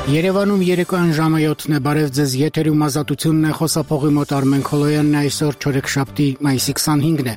Երևանում երեկոյան ժամը 7-ն է, բարև ձեզ, եթերում ազատությունն է, խոսափողի մոտ Արմեն Քոլոյանն է, այսօր չորեքշաբթի մայիսի 25-ն է,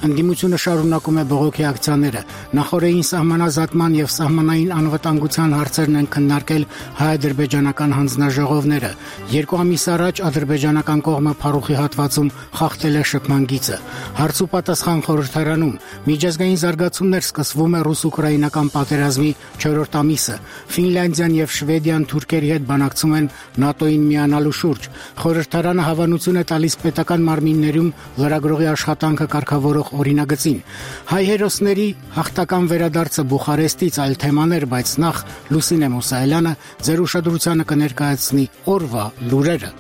ընդդիմությունը շարունակում է բողոքի ակցիաները, նախօրեին սահմանազատման եւ սահմանային անվտանգության հարցերն են քննարկել հայ-ադրբեջանական հանձնաժողովները, 2 ամիս առաջ ադրբեջանական կողմը Փարուխի հատվածում խախտել է շփման գիծը, հարց ու պատասխան խորհրդարանում, միջազգային զարգացումներ սկսվում է ռուս-ուկրաինական պատերազմի 4-րդ ամիսը, Ֆինլանդիան եւ Շվեդիան Թուրքերի հետ բանակցում են ՆԱՏՕ-ին միանալու շուրջ։ Խորհրդարանը հավանություն է տալիս պետական մարմիններում լրագրողի աշխատանքը կարգավորող օրինագծին։ Հայ հերոսների հաղթական վերադարձը Բուխարեստից այլ թեմաներ, բայց նախ Լուսինե Մուսայելյանը ձեր ուշադրությանը կներկայացնի օրվա լուրերը։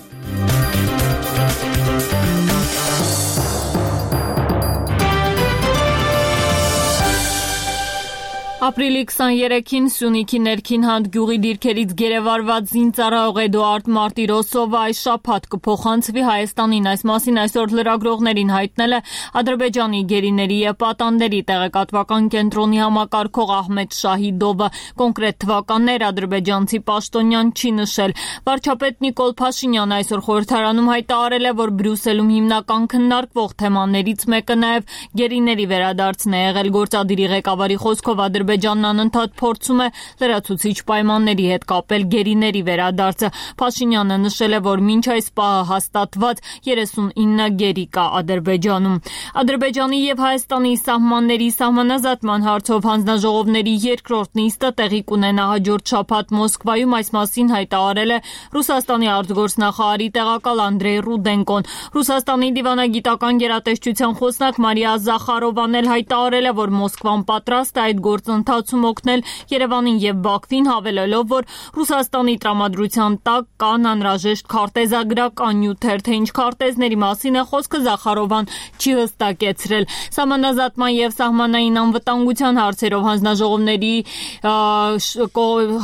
Ապրիլի 23-ին Սյունիքի ներքին հանդգյուղի դիրքերից գերեվարված զինծառայող Էդուարդ Մարտիրոսովը այս շաբաթ կփոխանցվի Հայաստանին, այս մասին այսօր լրագրողներին հայտնել է Ադրբեջանի գերիների եւ պատանդների տեղեկատվական կենտրոնի համակարգող Ահմեդ Շահիդովը, կոնկրետ թվականներ ադրբեջանցի պաշտոնյան չի նշել։ Վարչապետ Նիկոլ Փաշինյանը այսօր խորհրդարանում հայտարարել է, որ Բրյուսելում հիմնական քննարկվող թեմաներից մեկը նաեւ գերիների վերադարձն է եղել, գործադիրի ղեկավարի խոսքով Ադրբեջանն անընդհատ փորձում է լրացուցիչ պայմանների հետ կապել գերիների վերադարձը։ Փաշինյանը նշել է, որ մինչ այս պահը հաստատված 39 գերի կա Ադրբեջանում։ Ադրբեջանի եւ Հայաստանի սահմանների սահմանազատման հարցով հանձնաժողովների երկրորդ նիստը տեղի կունենա հաջորդ շաբաթ Մոսկվայում, այս մասին հայտարարել է Ռուսաստանի արտգործնախարարի տեղակալ Անդրեյ Ռուդենկոն։ Ռուսաստանի դիվանագիտական գերատեսչության խոսնակ Մարիա Զախարովան էլ հայտարարել է, որ Մոսկվան պատրաստ է այդ գործընթացում օգնել Երևանին եւ Բաքվին, հավելելով, որ Ռուսաստանի տրամադրության տակ կան անհրաժեշտ քարտեզագրական նյութեր, թե ինչ քարտեզների մասին է խոսքը Զախարովան չի հստակեցրել։ Սահմանազատման եւ սահմանային անվտանգության հարցերով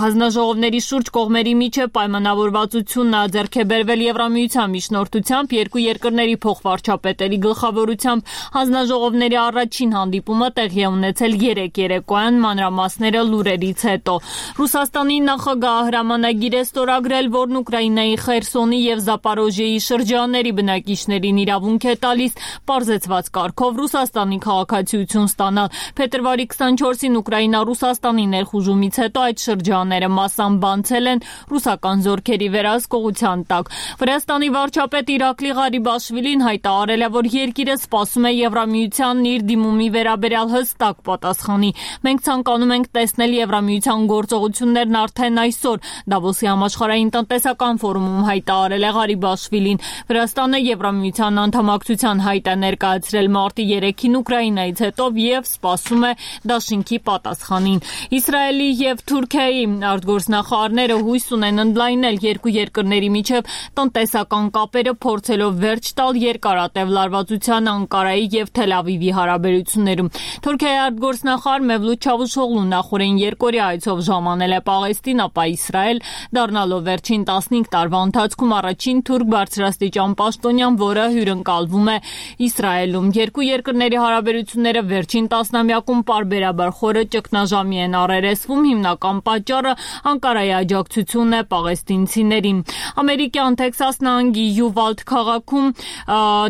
հանձնաժողովների շուրջ կողմերի միջև պայմանավորվածությունն է ձեռք բերվել Եվրամիության միջնորդությամբ, երկու երկրների փոխվարչապետերի գլխավորությամբ հանձնաժողովների առաջին հանդիպումը տեղի է ունեցել 3 երեկոյան, մանրամասները լուրերից հետո։ Ռուսաստանի նախագահը հրամանագիր է ստորագրել, որն Ուկրաինայի Խերսոնի եւ Զապորոժիեի շրջանների բնակիչներին իրավունք է տալիս պարզեցված կարգով Ռուսաստանի քաղաքացիություն ստանալ։ Փետրվարի 24-ին Ուկրաինա Ռուսաստանի ներխուժումից հետո այդ շրջանները մասամբ բանցել են ռուսական զորքերի վերահսկողության տակ։ Վրաստանի վարչապետ Իրակլի Ղարիբաշվիլին հայտարարել է, որ երկիրը սպասում է Եվրամիությանն իր դիմումի վերաբերյալ հստակ պատասխանի։ Մենք ցանկանում ենք տեսնել Եվրամիության գործողություններն արդեն այսօր, Դավոսի համաշխարհային տնտեսական ֆորումում հայտարարել է Ղարիբաշվիլին։ Վրաստանը Եվրամիության անդամակցության հայտ է ներկայացրել մարտի 3-ին Ուկրաինայից հետո եւ սպասում է դաշինքի պատասխանին։ Իսրայելի եւ Թուրքիայի արտգործնախարարները հույս ունեն ընդլայնել երկու երկրների միջև տնտեսական կապերը, փորձելով վերջ տալ երկարատև լարվածության Անկարայի եւ Թել Ավիվի հարաբերություններում։ Թուրքիայի արտգործնախարար Մևլութ Չավուշօղլուն նախորդին երկօրյա այցով ժամանել է Պաղեստին, ապա Իսրայել, դառնալով վերջին 15 տարվա ընթացքում առաջին թուրք բարձրաստիճան պաշտոնյան, որը հյուրընկալվում է Իսրայելում։ Երկու երկրների հարաբերությունները վերջին տասնամյակում պարբերաբար խորը ճգնաժամի են առերեսվում, հիմնական պատճառը Անկարայի աջակցությունն է պաղեստինցիներին։ Ամերիկյան Թեքսաս նահանգի Յուվալդ քաղաքում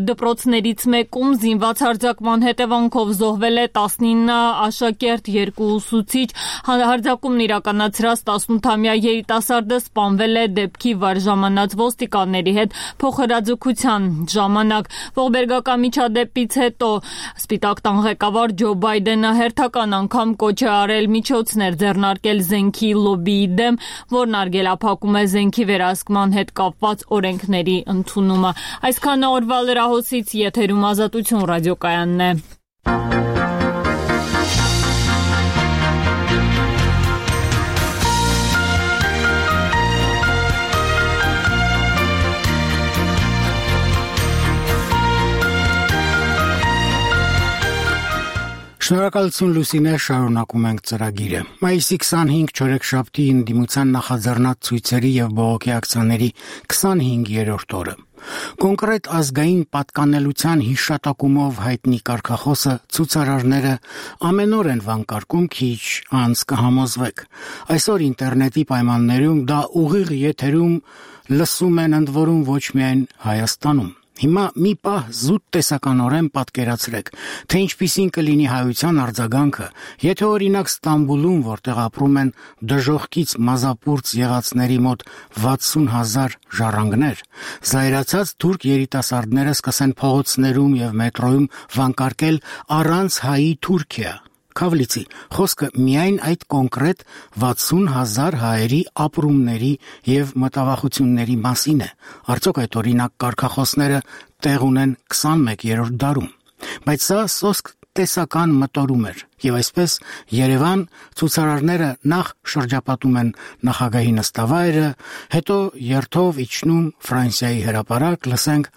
դպրոցներից մեկում զինված հարձակման հետևանքով զոհվել է 19 աշակերտ, 2 ուսուցիչ, հարձակումն իրականացրած 18-ամյա երիտասարդը սպանվել է դեպքի վար ժամանած ոստիկանների հետ փոխհրաձգության ժամանակ։ Ողբերգական միջադեպից հետո Սպիտակ տան ղեկավար Ջո Բայդենը հերթական անգամ կոչ է արել միջոցներ ձեռնարկել զենքի լոբբիի դեմ, որն արգելափակում է զենքի վերահսկման հետ կապված օրենքների ընդունումը։ Այսքանը օրվա լրահոսից, եթերում Ազատություն ռադիոկայանն է։ Շնորհակալություն Լուսինե, շարունակում ենք ծրագիրը։ Մայիսի 25 չորեքշաբթի ընդդիմության նախաձեռնած ցույցերի եւ բողոքի ակցիաների 25-րդ օրը։ Կոնկրետ ազգային պատկանելության հիշատակումով հայտնի կարգախոսը ցուցարարները ամեն օր են վանկարկում, քիչ անց կհամոզվեք։ Այսօր ինտերնետի պայմաններում դա ուղիղ եթերում լսում են ընդ որում ոչ միայն Հայաստանում։ Հիմա մի պահ զուտ տեսականորեն պատկերացրեք, թե ինչպիսին կլինի հայության արձագանքը, եթե օրինակ Ստամբուլում, որտեղ ապրում են դժոխքից մազապուրծ եղածների մոտ 60,000 ժառանգներ, զայրացած թուրք երիտասարդները սկսեն փողոցներում եւ մետրոյում վանկարկել առանց հայի Թուրքիա։ Քավլիցի, խոսքը միայն այդ կոնկրետ 60,000 հայերի ապրումների եւ մտավախությունների մասին է։ Արդյոք այդ օրինակ կարգախոսները տեղ ունեն 21-րդ դարում։ Բայց սա սոսկ տեսական մտորում էր, եւ այսպես Երևան ցուցարարները նախ շրջապատում են նախագահի նստավայրը, հետո երթով իջնում Ֆրանսիայի հրապարակ, լսենք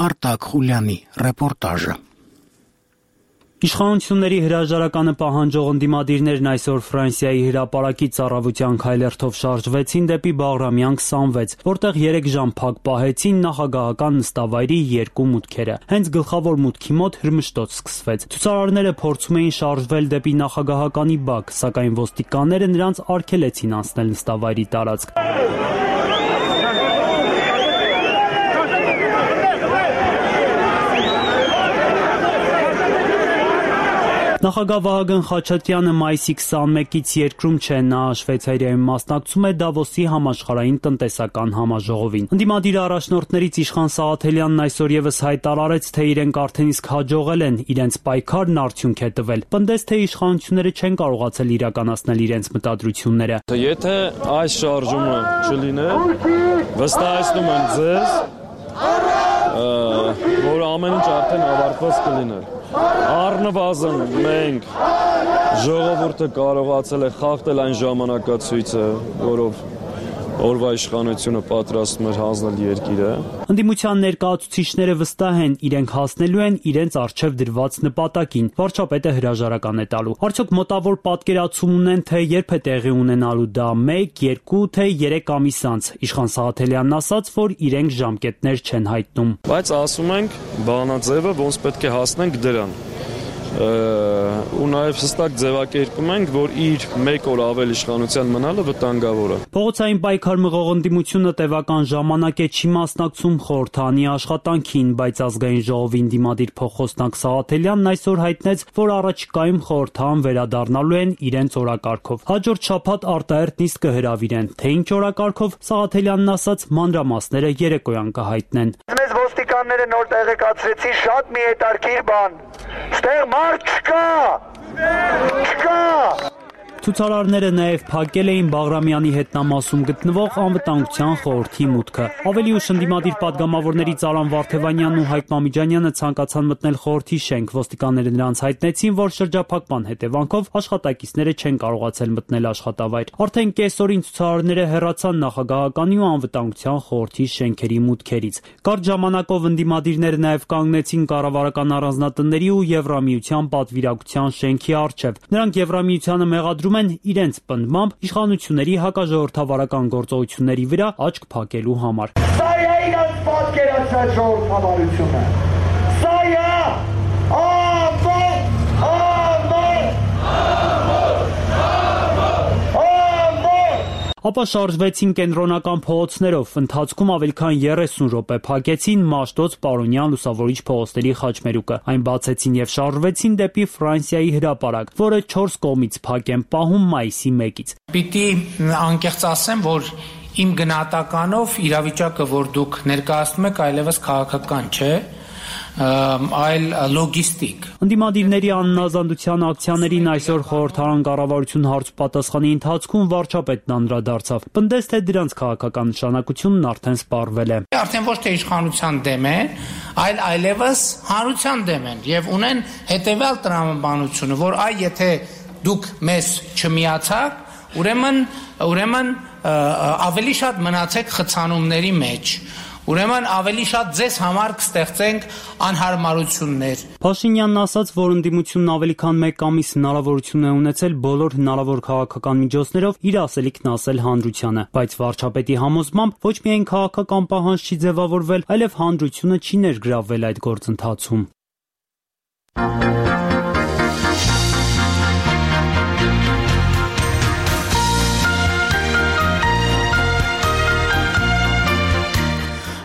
Արտակ Խուլյանի ռեպորտաժը։ Իշխանությունների հրաժարականը պահանջող ընդդիմադիրներն այսօր Ֆրանսիայի հրապարակից առավոտյան քայլերթով շարժվեցին դեպի Բաղրամյան 26, որտեղ 3 ժամ փակ պահեցին նախագահական նստավայրի 2 մուտքերը։ Հենց գլխավոր մուտքի մոտ հրմշտոց սկսվեց։ Ցուցարարները փորձում էին շարժվել դեպի նախագահականի բակ, սակայն ոստիկանները նրանց արգելեցին անցնել նստավայրի տարածք։ Նախագահ Վահագն Խաչատրյանը մայիսի 21-ից երկրում չէ, նա Շվեյցարիայում մասնակցում է Դավոսի համաշխարհային տնտեսական համաժողովին։ Ընդդիմադիր առաջնորդներից Իշխան Սաղաթելյանն այսօր եւս հայտարարեց, թե իրենք արդեն իսկ հաջողել են, իրենց պայքարն արդյունք է տվել։ Պնդեց, թե իշխանությունները չեն կարողացել իրականացնել իրենց մտադրությունները։ Եթե այս շարժումը չլիներ, վստահեցնում եմ ձեզ, որ ամեն ինչ արդեն ավարտված կլիներ։ Առնվազն մենք ժողովուրդը կարողացել է խախտել այն ժամանակացույցը, որով օրվա իշխանությունը պատրաստում էր հանձնել երկիրը։ Ընդդիմության ներկայացուցիչները վստահ են, իրենք հասնելու են իրենց առջև դրված նպատակին։ Վարչապետը հրաժարական է տալու։ Արդյոք մոտավոր պատկերացում ունեն, թե երբ է տեղի ունենալու դա 1, 2, թե 3 ամիս անց։ Իշխան Սաղաթելյանն ասաց, որ իրենք ժամկետներ չեն հայտնում։ Բայց ասում ենք բանաձևը ոնց պետք է հասնենք դրան։ Ու նաև հստակ ձևակերպում ենք, որ իր 1 օր ավել իշխանության մնալը վտանգավոր է։ Փողոցային պայքար մղող ընդդիմությունը տևական ժամանակ է չի մասնակցում խորհրդանի աշխատանքին, բայց ազգային ժողովի ընդդիմադիր փոխխոսնակ Սաղաթելյանն այսօր հայտնեց, որ առաջիկայում խորհրդան վերադառնալու են իրենց օրակարգով։ Հաջորդ շաբաթ արտահերթ նիստ կհրավիրեն, թե ինչ օրակարգով Սաղաթելյանն ասաց, մանրամասները երեկոյան կհայտնեն։ Մեզ ոստիկանները նոր տեղեկացրեցին շատ մի հետարքիր բան։ Ստեղ մարդ չկա։ Ցուցարարները նաև փակել էին Բաղրամյանի հետնամասում գտնվող անվտանգության խորհրդի մուտքը։ Ավելի ուշ ընդդիմադիր падգամավորներից Արամ Վարդևանյանն ու Հայկ Մամիջանյանը ցանկացան մտնել խորհրդի շենք։ Ոստիկանները նրանց հայտնեցին, որ շրջափակման հետևանքով աշխատակիցները չեն կարողացել մտնել աշխատավայր։ Արդեն կեսօրին ցուցարարները հեռացան նախագահականի ու անվտանգության խորհրդի շենքերի մուտքերից։ Կարճ ժամանակով ընդդիմադիրները նաև կանգնեցին կառավարական առանձնատների ու Եվրամիության պատվիրակության շենքի առջև։ Նրանք Եվրամիությանը մեղադրում են իրենց պնդմամբ իշխանությունների հակաժողովրդավարական գործողությունների վրա աչք փակելու համար։ Սա է իրենց պատկերացրած ժողովրդավարությունը։ Սա է Ապա շարժվեցին կենտրոնական փողոցներով, ընթացքում ավելի քան 30 րոպե փակեցին Մաշտոց, Պարոնյան, Լուսավորիչ փողոցների խաչմերուկը։ Այն բացեցին եւ շարժվեցին դեպի Ֆրանսիայի հրապարակ, որը 4 կողմից փակ են պահում մայիսի 1-ից։ Պիտի անկեղծ ասեմ, որ իմ գնահատականով իրավիճակը, որ դուք ներկայացնում եք, այլևս քաղաքական չէ, այլ լոգիստիկ։ Ընդդիմադիրների աննազանդության ակցիաներին այսօր խորհրդարան կառավարություն հարցպատասխանի ընթացքում վարչապետն անդրադարձավ։ Պնդեց, թե դրանց քաղաքական նշանակությունն արդեն սպառվել է։ Արդեն ոչ թե իշխանության դեմ են, այլ այլևս հանրության դեմ են եւ ունեն հետեւյալ տրամաբանությունը, որ եթե դուք մեզ չմիացաք, ուրեմն ավելի շատ մնացեք խցանումների մեջ։ ուրեմն ավելի շատ ձեզ համար կստեղծենք անհարմարություններ։ Փաշինյանն ասաց, որ ընդդիմությունն ավելի քան 1 ամիս հնարավորություն է ունեցել բոլոր հնարավոր քաղաքական միջոցներով իր ասելիքն ասել հանրությանը, բայց վարչապետի համոզմամբ ոչ միայն քաղաքական պահանջ չի ձևավորվել, այլև հանրությունը չի ներգրավվել այդ գործընթացում։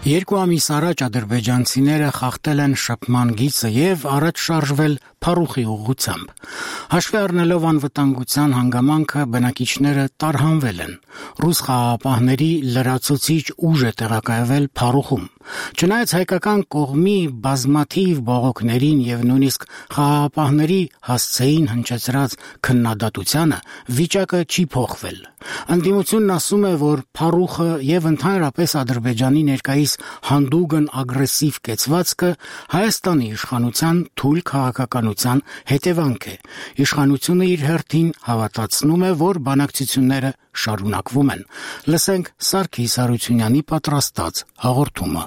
Երկու ամիս առաջ ադրբեջանցիները խախտել են շփման գիծը եւ առաջ շարժվել Փարուխի ուղղությամբ։ Հաշվի առնելով անվտանգության հանգամանքը, բնակիչները տարհանվել են։ Ռուս խաղաղապահների լրացուցիչ ուժ է տեղակայվել Փարուխում։ Չնայած հայկական կողմի բազմաթիվ բողոքներին եւ նույնիսկ խաղաղապահների հասցեին հնչեցրած քննադատությանը, վիճակը չի փոխվել։ Ընդդիմությունն ասում է, որ Փարուխը եւ ընդհանրապես Ադրբեջանի ներկայիս հանդուգն ագրեսիվ կեցվածքը Հայաստանի իշխանության թույլ քաղաքականության հետևանք է։ Իշխանությունը իր հերթին հավատացնում է, որ բանակցությունները շարունակվում են։ Լսենք Սարգիս Հարությունյանի պատրաստած հաղորդումը։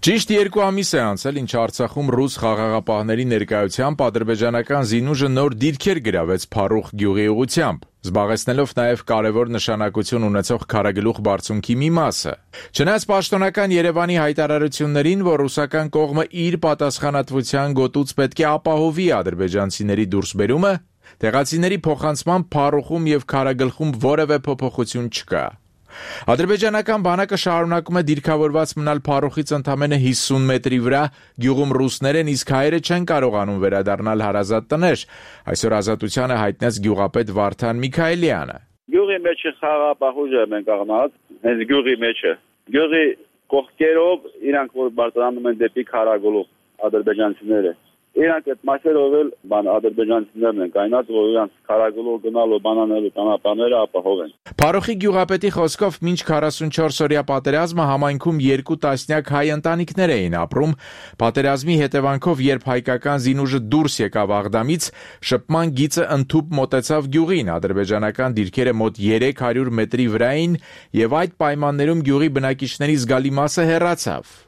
Ճիշտ 2 ամիս է անցել, ինչ Արցախում ռուս խաղաղապահների ներկայությամբ ադրբեջանական զինուժը նոր դիրքեր գրավեց Փարուխ գյուղի ուղղությամբ, զբաղեցնելով նաև կարևոր նշանակություն ունեցող քարագլուխ բարձունքի մի մասը։ Չնայած պաշտոնական Երևանի հայտարարություններին, որ ռուսական կողմը իր պատասխանատվության գոտուց պետք է ապահովի ադրբեջանցիների դուրսբերումը, տեղացիների փոխանցման Փարուխում եւ քարագլխում որևէ փոփոխություն չկա։ Ադրբեջանական բանակը շարունակում է դիրքավորված մնալ Փարուխից ընդամենը 50 մետրի վրա, գյուղում ռուսներ են, իսկ հայերը չեն կարողանում վերադառնալ հարազատ տներ, այսօր Ազատությանը հայտնեց գյուղապետ Վարդան Միքայելյանը։ Գյուղի մեջ խաղաղապահ ուժ են կանգնած, հենց գյուղի մեջ է։ Գյուղի կողքերով իրանք որ բարձրանում են դեպի քարագլուխ ադրբեջանցիները։ Իրանք այդ մասերով էլ ադրբեջանցիներն են կայնած, որ իրանք քարագլուխ գնալու բանանելու ճանապարհները ապահովեն։ Փարուխի գյուղապետի խոսքով մինչ 44-օրյա պատերազմը համայնքում 2 տասնյակ հայ ընտանիքներ էին ապրում։ Պատերազմի հետևանքով, երբ հայկական զինուժը դուրս եկավ Աղդամից, շփման գիծը ընդհուպ մոտեցավ գյուղին, ադրբեջանական դիրքերը մոտ 300 մետրի վրա էին եւ այդ պայմաններում գյուղի բնակիչների զգալի մասը հեռացավ։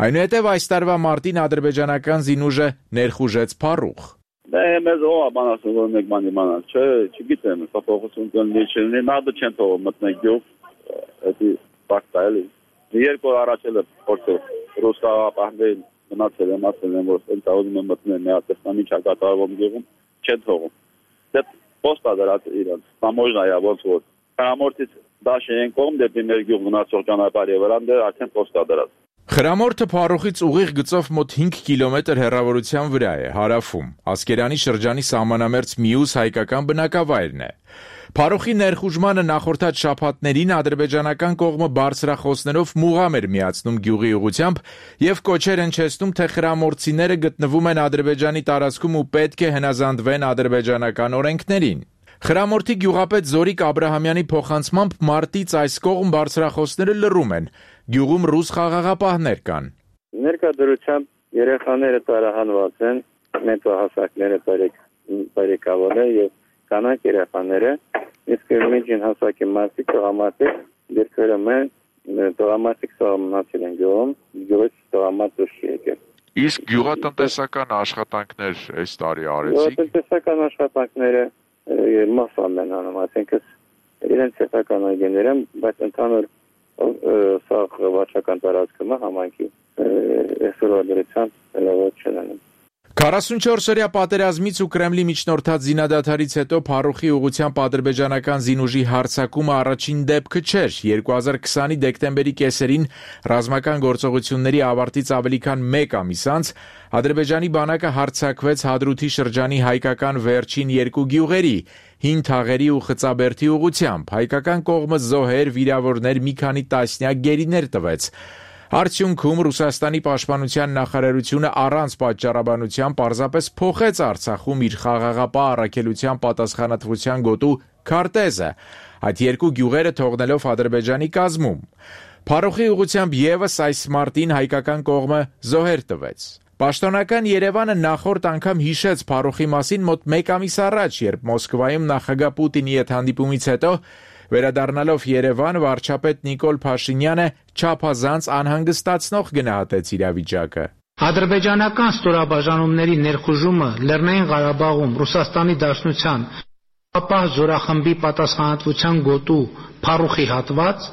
Այնուհետև այս տարվա մարտին ադրբեջանական զինուժը ներխուժեց Փարուխ։ Դա մեզ ո՞ա բանասը որ մեկ բանի մանալ, չգիտեմ, փոփոխություն կլինի, չլինի, նադը չեն թողում մտնել գյուղ, դա ֆակտ է։ 2 օր առաջ էլ փորձել ռուս խաղաղապահներին մնացել են, ասել են, որ ընտանիքում են մտնել միատեսնամի չակատարվում գյուղում, չեն թողում։ Դա պոստա դրած իրանց, համոժնա է ոնց որ Խրամորտից դաշ են կողմ դեպի մեր գյուղ մնացող ճանապարհի վրա դեռ արդեն պոստա դրած։ Խրամորտը Փարուխից ուղիղ գծով մոտ 5 կիլոմետր հեռավորության վրա է, հարավում, Ասկերանի շրջանի սահմանամերձ մյուս հայկական բնակավայրն է։ Փարուխի ներխուժմանը նախորդած շաբաթներին ադրբեջանական կողմը բարձրախոսներով մուղամ էր միացնում գյուղի ուղղությամբ եւ կոչեր հնչեցնում, թե խրամորտցիները գտնվում են Ադրբեջանի տարածքում ու պետք է հնազանդվեն ադրբեջանական օրենքներին։ Խրամորտի գյուղապետ Զորիկ Աբրահամյանի փոխանցմամբ մարտից այս կողմ բարձրախոսները լռում են, գյուղում ռուս խաղաղապահներ կան։ Ներկայությամբ երեխաները տարահանված են, մեծահասակները բարեկավորներ եւ կանանց երեխաները, իսկ միջին հասակի մարդիկ տղամարդիկ դերքերում են, տղամարդիկ սահմանացել են գյուղից տղամարդ դուրս եկել։ Իսկ գյուղատնտեսական աշխատանքներ այս տարի արեցիք։ Գյուղատնտեսական աշխատանքները մասամբ են անում, այսինքն իրենց սեփական այգիներ են, բայց ընդհանուր սաղ վարչական տարածքում համայնքի այսօրվա լավոց չեն անում։ 44-օրյա պատերազմից ու Կրեմլի միջնորդած զինադադարից հետո Փարուխի ուղղությամբ ադրբեջանական զինուժի հարձակումը առաջին դեպքը չէր։ 2020-ի դեկտեմբերի կեսերին ռազմական գործողությունների ավարտից ավելի քան 1 ամիս անց Ադրբեջանի բանակը հարձակվեց Հադրութի շրջանի հայկական վերջին 2 գյուղերի՝ Հին Թաղերի ու Խծաբերդի ուղղությամբ։ Հայկական կողմը զոհեր, վիրավորներ, մի քանի տասնյակ գերիներ տվեց։ Արդյունքում Ռուսաստանի պաշտպանության նախարարությունը առանց պատճառաբանության պարզապես փոխեց Արցախում իր խաղաղապահ առաքելության պատասխանատվության գոտու քարտեզը, այդ 2 գյուղերը թողնելով Ադրբեջանի կազմում։ Փարուխի ուղղությամբ եւս այս մարտին հայկական կողմը զոհեր տվեց։ Պաշտոնական Երևանը նախորդ անգամ հիշեց Փարուխի մասին մոտ 1 ամիս առաջ, երբ Մոսկվայում նախագահ Պուտինի հետ հանդիպումից հետո Վերադառնալով Երևան, վարչապետ Նիկոլ Փաշինյանը չափազանց անհանգստացնող գնահատեց իրավիճակը. Ադրբեջանական ստորաբաժանումների ներխուժումը Լեռնային Ղարաբաղում Ռուսաստանի Դաշնության ապահ զորախմբի պատասխանատվության գոտու Փարուխի հատված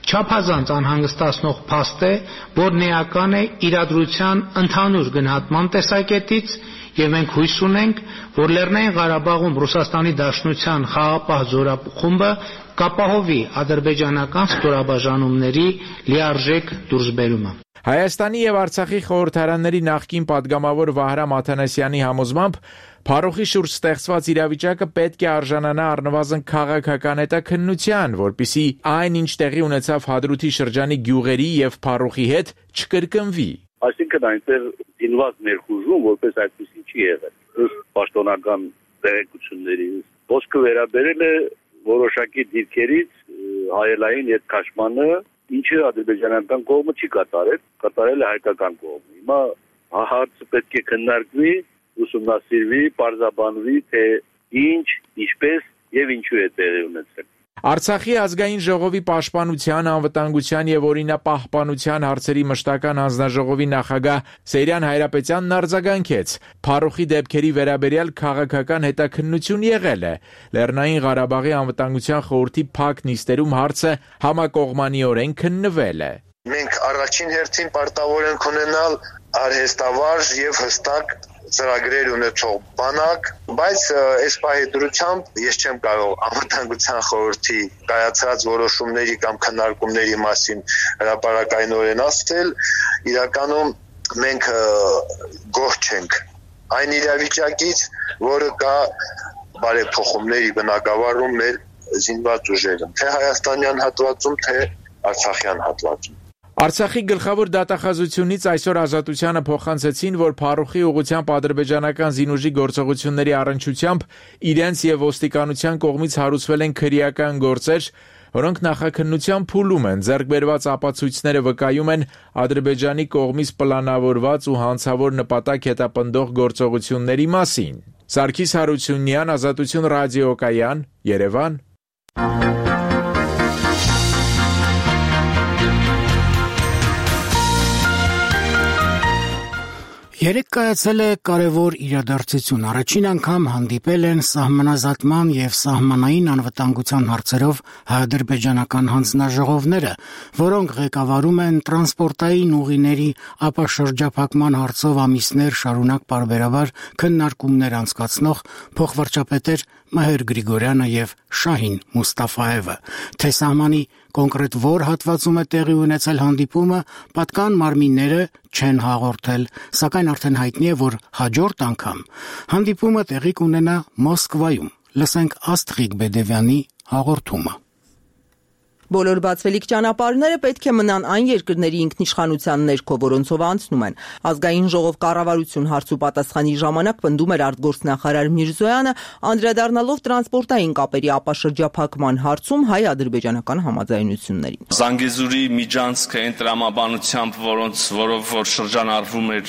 չափազանց անհանգստացնող փաստ է, որն էական է իրադրության ընդհանուր գնահատման տեսակետից, եւ մենք հույս ունենք, որ Լեռնային Ղարաբաղում Ռուսաստանի Դաշնության խաղաղապահ զորախումբը կապահովի ադրբեջանական ստորաբաժանումների լիարժեք դուրսբերումը։ Հայաստանի եւ Արցախի խորհրդարանների նախկին падգամավոր Վահրամ Աթանասյանի համոզմամբ Փարուխի շուրջ ստեղծված իրավիճակը պետք է արժանանա առնվազն քաղաքական հետաքննության, որպեսզի այն, ինչ տեղի ունեցավ Հադրութի շրջանի գյուղերի եւ Փարուխի հետ, չկրկնվի։ Այսինքն այնտեղ դինված ներխուժում որպես այդպեսի չի եղել։ Ըստ պաշտոնական տեղեկությունների ոսկը վերաբերել է որոշակի դիրքերից հայելային հետքաշմանը, ինչը ադրբեջանական կողմը չի կատարել, կատարել է հայկական կողմը։ Հիմա հարցը պետք է քննարկվի, ուսումնասիրվի, պարզաբանվի, թե ինչ, ինչպես եւ ինչու է տեղի ունեցել։ Արցախի ազգային ժողովի պաշտպանության, անվտանգության եւ օրինապահպանության հարցերի մշտական հանձնաժողովի նախագահ Սեյրան Հայրապետյանն արձագանքեց. Փարուխի դեպքերի վերաբերյալ քաղաքական հետաքննություն եղել է։ Լեռնային Ղարաբաղի անվտանգության խորհրդի փակ նիստերում հարցը համակողմանիորեն քննվել է։ Մենք առաջին հերթին պարտավոր ենք ունենալ արհեստավարժ եւ հստակ ծրագրեր ունեցող բանակ, բայց այս պահի դրությամբ ես չեմ կարող անվտանգության խորհրդի կայացած որոշումների կամ քննարկումների մասին հրապարակայնորեն ասել, իրականում մենք գոհ չենք այն իրավիճակից, որը կա բարեփոխումների բնագավառում մեր զինված ուժերում, թե հայաստանյան հատվածում, թե արցախյան հատվածում։ Արցախի գլխավոր դատախազությունից այսօր Ազատությանը փոխանցեցին, որ Փարուխի ուղղությամբ ադրբեջանական զինուժի գործողությունների առնչությամբ իրենց եւ ոստիկանության կողմից հարուցվել են քրեական գործեր, որոնք նախաքննության փուլում են, ձեռք բերված ապացույցները վկայում են Ադրբեջանի կողմից պլանավորված ու հանցավոր նպատակ հետապնդող գործողությունների մասին։ Սարգիս Հարությունյան, Ազատություն ռադիոկայան, Երևան։ Երեկ կայացել է կարևոր իրադարձություն։ Առաջին անգամ հանդիպել են սահմանազատման եւ սահմանային անվտանգության հարցերով հայ-ադրբեջանական հանձնաժողովները, որոնք ղեկավարում են տրանսպորտային ուղիների ապաշրջափակման հարցով ամիսներ շարունակ պարբերաբար քննարկումներ անցկացնող փոխվարչապետեր Մհեր Գրիգորյանը եւ Շահին Մուստաֆաևը, թե սահմանի կոնկրետ որ հատվածում է տեղի ունեցել հանդիպումը, պատկան մարմինները չեն հաղորդել, սակայն արդեն հայտնի է, որ հաջորդ անգամ հանդիպումը տեղի կունենա Մոսկվայում։ Լսենք Աստղիկ Բեդևյանի հաղորդումը։ Բոլոր բացվելիք ճանապարհները պետք է մնան այն երկրների ինքնիշխանության ներքո, որոնցով անցնում են։ Ազգային ժողով կառավարություն հարց ու պատասխանի ժամանակ պնդում էր արտգործնախարար Միրզոյանը, անդրադառնալով տրանսպորտային կապերի ապաշրջափակման հարցում հայ-ադրբեջանական համաձայնություններին։ Զանգեզուրի միջանցքը այն տրամաբանությամբ, որով որ շրջանառվում էր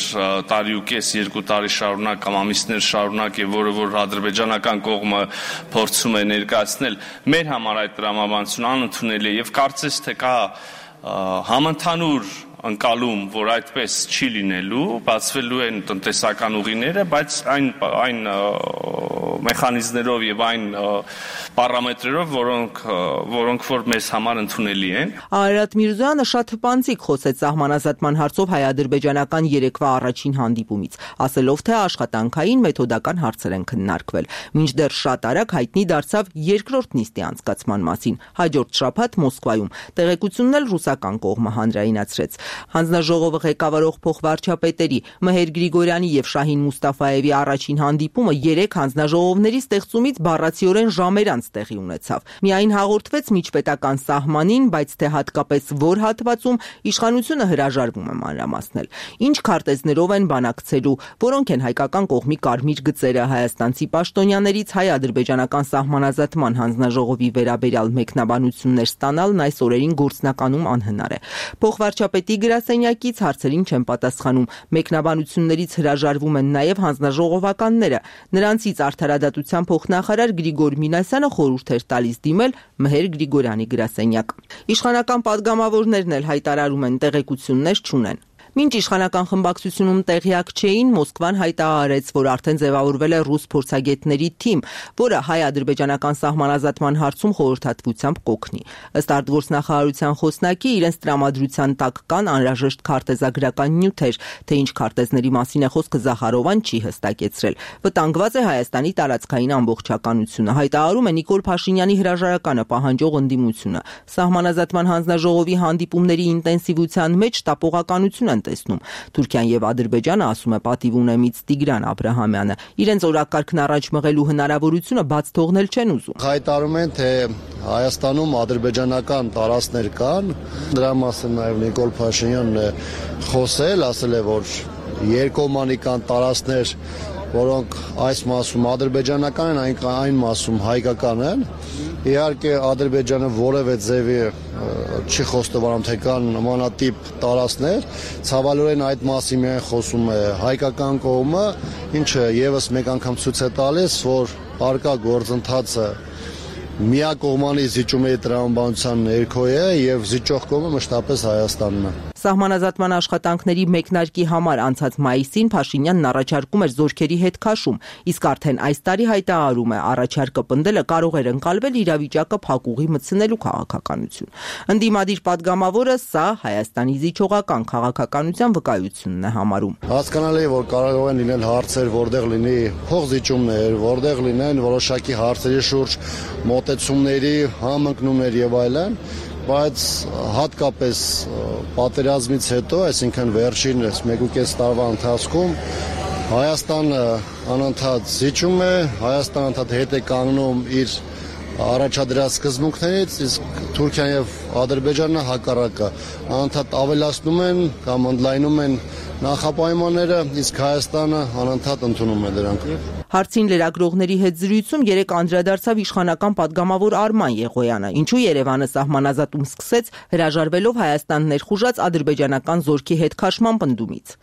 տարի ու կես, 2 տարի շարունակ կամ ամիսներ շարունակ, եւ որը որ ադրբեջանական կողմը փորձում է ներկայացնել, մեր համար այդ տրամաբանությունը անընդունելի եւ կարծես թե կա համընդհանուր ընկալում, որ այդպես չի լինելու, բացվելու են տնտեսական ուղիները, բայց այն մեխանիզմներով եւ այն պարամետրերով, որոնք որ մեզ համար ընդունելի են։ Արարատ Միրզոյանը շատ հպանցիկ խոսեց սահմանազատման հարցով հայ-ադրբեջանական երեկվա առաջին հանդիպումից, ասելով, թե աշխատանքային մեթոդական հարցեր են քննարկվել։ Մինչդեռ շատ արագ հայտնի դարձավ երկրորդ նիստի անցկացման մասին, հաջորդ շաբաթ Մոսկվայում։ Տեղեկությունն էլ ռուսական կողմը հանրայնացրեց։ Հանձնաժողովը ղեկավարող փոխվարչապետերի Մհեր Գրիգորյանի եւ Շահին Մուստաֆաևի առաջին հանդիպումը 3 հանձնաժողովների ստեղծումից բառացիորեն ժամեր անց տեղի ունեցավ։ Միայն հաղորդվեց միջպետական սահմանին, բայց թե հատկապես որ հատվածում իշխանությունը հրաժարվում է մանրամասնել։ Ինչ քարտեզներով են բանակցելու, որոնք են հայկական կողմի կարմիր գծերը, հայաստանցի պաշտոնյաներից հայ-ադրբեջանական սահմանազատման հանձնաժողովի վերաբերյալ մեկնաբանություններ ստանալն այս օրերին գործնականում անհնար է։ Փոխվարչապետի գրասենյակից հարցերին չեն պատասխանում։ Մեկնաբանություններից հրաժարվում են նաև հանձնաժողովականները։ Նրանցից արդարադատության փոխնախարար Գրիգոր Մինասյանը խորհուրդ էր տալիս դիմել Մհեր Գրիգորյանի գրասենյակ։ Իշխանական падգամավորներն էլ հայտարարում են տեղեկություններ չունեն։ Մինչ իշխանական խմբակցությունում տեղյակ չէին, Մոսկվան հայտարարեց, որ արդեն ձևավորվել է ռուս փորձագետների թիմ, որը հայ-ադրբեջանական սահմանազատման հարցում խորհրդատվությամբ կօգնի։ Ըստ արտգործնախարարության խոսնակի, իրենց տրամադրության տակ կան անհրաժեշտ քարտեզագրական նյութեր, թե ինչ քարտեզների մասին է խոսքը Զախարովան չի հստակեցրել։ Վտանգված է Հայաստանի տարածքային ամբողջականությունը, հայտարարում է Նիկոլ Փաշինյանի հրաժարականը պահանջող ընդդիմությունը։ Սահմանազատման հանձնաժողովի հանդիպումների ինտենսիվության մեջ տապողականություն տեսնում։ Թուրքիան եւ Ադրբեջանը, ասում է պատիվ ունեմից Տիգրան Աբրահամյանը, իրենց օրակարգն առաջ մղելու հնարավորությունը բաց թողնել չեն ուզում։ Հայտարարում են, թե Հայաստանում ադրբեջանական տարածքներ կան, դրա մասին նաեւ Նիկոլ Փաշինյանն է խոսել, ասել է, որ երկկողմանի կան տարածքներ, որոնք այս մասում ադրբեջանական են, այն մասում հայկական են։ Իհարկե Ադրբեջանը որևէ ձևի չի խոստովանում, թե կան նմանատիպ տարածքներ, ցավալիորեն այդ մասին միայն խոսում է հայկական կողմը, ինչը եւս մեկ անգամ ցույց է տալիս, որ արկա գործընթացը միակողմանի զիջումների տրամաբանության ներքո է եւ զիջող կողմը մշտապես Հայաստանն է։ Սահմանազատման աշխատանքների մեկնարկի համար անցած մայիսին Փաշինյանն առաջարկում էր զորքերի հետ քաշում, իսկ արդեն այս տարի հայտարարում է, առաջարկը պնդելը կարող էր ընկալվել իրավիճակը փակուղի մտցնելու քաղաքականություն։ Ընդդիմադիր падգամավորը սա Հայաստանի զիջողական քաղաքականության վկայությունն է համարում։ Հասկանալի է, որ կարող են լինել հարցեր, որտեղ լինի փոխզիջումներ, որտեղ լինեն որոշակի հարցերի շուրջ մոտեցումների համընկնումներ եւ այլն, բայց հատկապես պատերազմից հետո, այսինքն վերջին 1.5 տարվա ընթացքում Հայաստանը անընդհատ զիջում է, Հայաստանը անընդհատ հետ է կանգնում իր առաջադրած սկզբունքներից, իսկ Թուրքիան եւ Ադրբեջանը հակառակը անընդհատ ավելացնում են կամ ընդլայնում են նախապայմանները, իսկ Հայաստանը անընդհատ ընդունում է դրանք։ Հարցին լրագրողների հետ զրույցում երեկ անդրադարձավ իշխանական падգամավոր Արման Եղոյանը, ինչու Երևանը սահմանազատում սկսեց հրաժարվելով Հայաստան ներխուժած ադրբեջանական զորքի հետ քաշման պնդումից։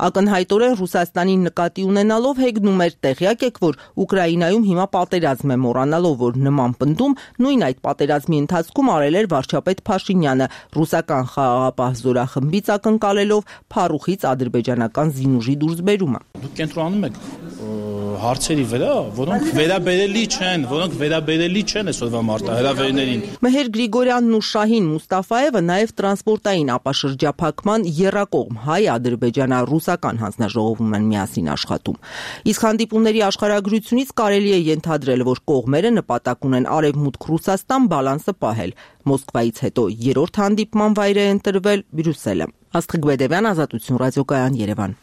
Ակնհայտորեն Ռուսաստանին նկատի ունենալով հեգնում էր, տեղյակ եք, որ Ուկրաինայում հիմա պատերազմ է, մոռանալով, որ նման պնդում նույն այդ պատերազմի ընթացքում արել էր վարչապետ Փաշինյանը, ռուսական խաղաղապահ զորախմբից ակնկալելով փառուխից ադրբեջանական զինուժի դուրսբերումը։ Դուք կենտրոնանում եք հարցերի վրա, որոնք վերաբերելի չեն այսօրվա մարտահրավերներին։ Մհեր Գրիգորյանն ու Շահին Մուստաֆաևը նաև տրանսպորտային ապաշրջափակման եռակողմ հայ-ադրբեջանա-ռուսական հանձնաժողովում են միասին աշխատում։ Իսկ հանդիպումների աշխարհագրությունից կարելի է ենթադրել, որ կողմերը նպատակ ունեն Արևմուտք Ռուսաստան բալանսը պահել։ Մոսկվայից հետո երրորդ հանդիպման վայր է ընտրվել Բրյուսելը։ Աստղիկ Բեդևյան, Ազատություն ռադիոկայան, Երևան։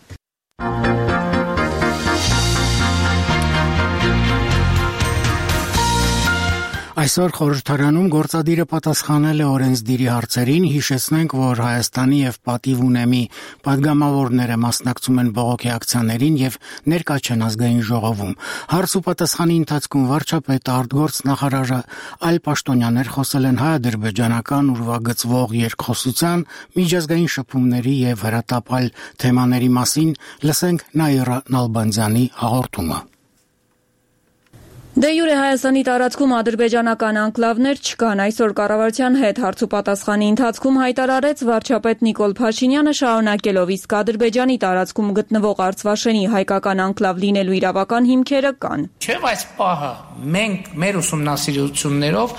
Այսօր խորհրդարանում գործադիրը պատասխանել է օրենսդիրի հարցերին, հիշեցնենք, որ Հայաստանի եւ պատիվ ունեմի падգամավորները մասնակցում են բողոքի ակցիաներին եւ ներկա չեն ազգային ժողովում։ Հարց ու պատասխանի ընթացքում վարչապետ արտգործնախարարը այլ պաշտոնյաներ խոսել են հայ-ադրբեջանական ուրվագծվող երկխոսության, միջազգային շփումների եւ հրատապ այլ թեմաների մասին, լսենք Նաիրա Նալբանդյանի հաղորդումը։ Դե յուրե Հայաստանի տարածքում ադրբեջանական անկլավներ չկան, այսօր կառավարության հետ հարց ու պատասխանի ընթացքում հայտարարեց վարչապետ Նիկոլ Փաշինյանը, շարունակելով, իսկ Ադրբեջանի տարածքում գտնվող Արցվաշենի հայկական անկլավ լինելու իրավական հիմքերը կան։ Չէ, այս պահը մենք մեր ուսումնասիրություններով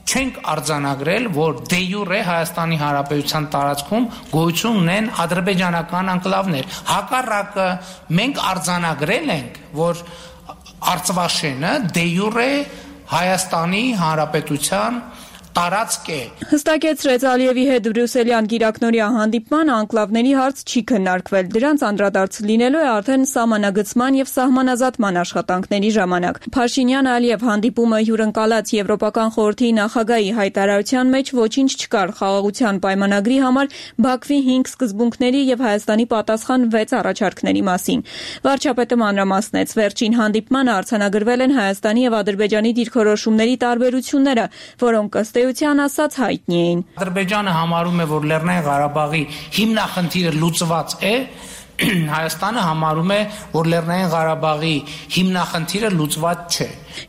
չենք արձանագրել, որ դե յուրե Հայաստանի Հանրապետության տարածքում գոյություն ունեն ադրբեջանական անկլավներ։ Հակառակը մենք արձանագրել ենք, որ Արցվաշենը դե յուրե Հայաստանի Հանրապետության տարածք է։ Հստակեցրեց Ալիևի հետ Բրյուսելյան գիրակնորյա հանդիպման անկլավների հարց չի քննարկվել։ Դրանց անդրադարձ լինելու է արդեն սահմանագծման եւ սահմանազատման աշխատանքների ժամանակ։ Փաշինյան-Ալիև հանդիպումը հյուրընկալած Եվրոպական խորհրդի նախագահի հայտարարության մեջ ոչինչ չկար խաղաղության պայմանագրի համար Բաքվի 5 սկզբունքների եւ Հայաստանի պատասխան 6 առաջարկների մասին։ Վարչապետը մանրամասնեց, վերջին հանդիպմանը արձանագրվել են Հայաստանի եւ Ադրբեջանի դիրքորոշումների տարբերությունները, որոնք ըստ էության ասած հայտնի էին։ Ադրբեջանը համարում է, որ Լեռնային Ղարաբաղի հիմնախնդիրը լուծված է, Հայաստանը համարում է, որ Լեռնային Ղարաբաղի հիմնախնդիրը լուծված չէ։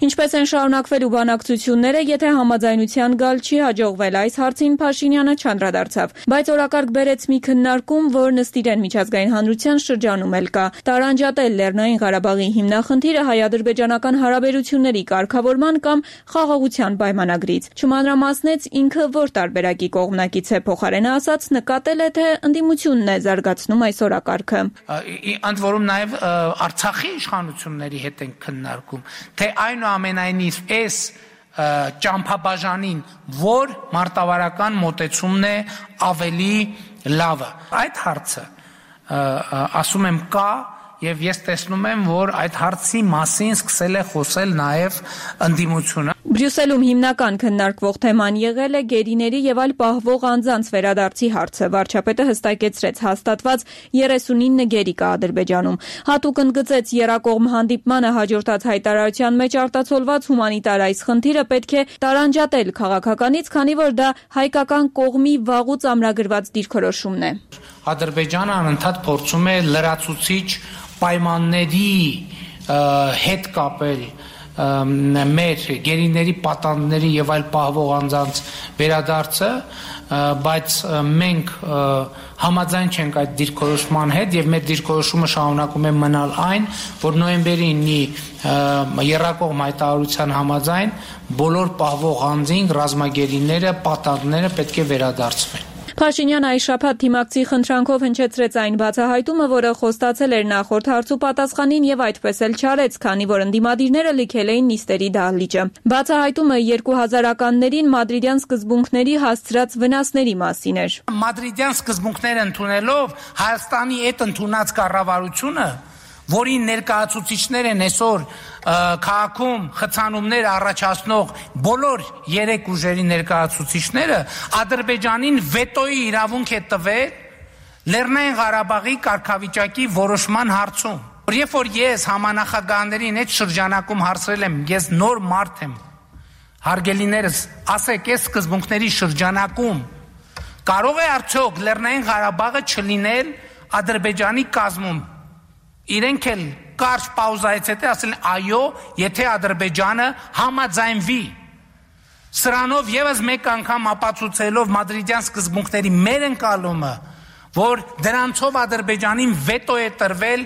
Ինչպես են շարունակվելու բանակցությունները, եթե համաձայնության գալ չի հաջողվել, այս հարցին Փաշինյանը չանդրադարձավ, բայց օրակարգ բերեց մի քննարկում, որ նստիրեն միջազգային հանրության շրջանում էլ կա։ Տարանջատել Լեռնային Ղարաբաղի հիմնախնդիրը հայ-ադրբեջանական հարաբերությունների կարգավորման կամ խաղաղության պայմանագրից։ Չմանրամասնեց ինքը որ տարբերակի կողմնակից է, փոխարենը ասած նկատել է, թե ընդդիմությունն է զարգացնում այս օրակարգը։ Ընդ որում նաև Արցախի իշխանությունների հետ են քննարկում, թե այնուամենայնիվ այս ճամփաբաժանին, որ մարտավարական մոտեցումն է ավելի լավը։ Այդ հարցը ասում եմ կա եւ ես տեսնում եմ, որ այդ հարցի մասին սկսել է խոսել նաև ընդդիմությունը։ Բրյուսելում հիմնական քննարկվող թեման եղել է գերիների եւ այլ պահվող անձանց վերադարձի հարցը։ Վարչապետը հստակեցրեց հաստատված 39 գերի կա Ադրբեջանում։ Հատուկ ընդգծեց եռակողմ հանդիպմանը հաջորդած հայտարարության մեջ արտացոլված հումանիտար այս խնդիրը պետք է տարանջատել քաղաքականից, քանի որ դա հայկական կողմի վաղուց ամրագրված դիրքորոշումն է։ Ադրբեջանը անընդհատ փորձում է լրացուցիչ պայմանների հետ կապել մեր գերիների պատանդների եւ այլ պահվող անձանց վերադարձը, բայց մենք համաձայն չենք այդ դիրքորոշման հետ եւ մեր դիրքորոշումը շարունակում է մնալ այն, որ նոյեմբերի 9-ի եռակողմ հայտարարության համաձայն բոլոր պահվող անձին ռազմագերիները, պատանդները պետք է վերադարձվեն։ Փաշինյանը այս շաբաթ թիմակցի խնդրանքով հնչեցրեց այն բացահայտումը, որը խոստացել էր նախորդ հարցու պատասխանին եւ այդպես էլ չարեց, քանի որ ընդդիմադիրները լքել էին նիստերի դահլիճը։ Բացահայտումը 2000-ականներին մադրիդյան սկզբունքների հասցրած վնասների մասին էր։ Մադրիդյան սկզբունքները ընդունելով Հայաստանի այդ ընդունած կառավարությունը, որի ներկայացուցիչներ են այսօր քաղաքում խցանումներ առաջացնող բոլոր երեք ուժերի ներկայացուցիչները, Ադրբեջանին վետոյի իրավունք է տվել Լեռնային Ղարաբաղի կարգավիճակի որոշման հարցում։ Երբ որ ես համանախագահներին այդ շրջանակում հարցրել եմ, ես նոր մարդ եմ, հարգելիներս, ասեք, այս սկզբունքների շրջանակում կարող է արդյոք Լեռնային Ղարաբաղը չլինել Ադրբեջանի կազմում։ Իրենք էլ կարճ պաուզայից հետո ասել են այո, եթե Ադրբեջանը համաձայնվի։ Սրանով եւս մեկ անգամ ապացուցելով մադրիդյան սկզբունքների մեր ընկալումը, որ դրանցով Ադրբեջանին վետո է տրվել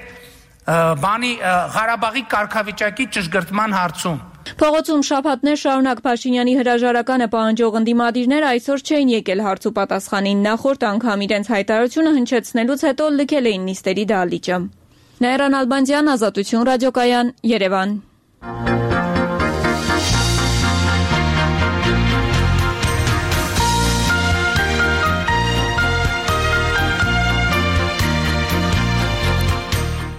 Ղարաբաղի կարգավիճակի ճշգրտման հարցում։ Փողոցում շաբաթներ շարունակ Փաշինյանի հրաժարականը պահանջող ընդդիմադիրները այսօր չէին եկել հարց ու պատասխանին։ Նախորդ անգամ իրենց հայտարարությունը հնչեցնելուց հետո լքել էին նիստերի դահլիճը։ Նաիրան Ալբանդյան, Ազատություն ռադիոկայան, Երևան։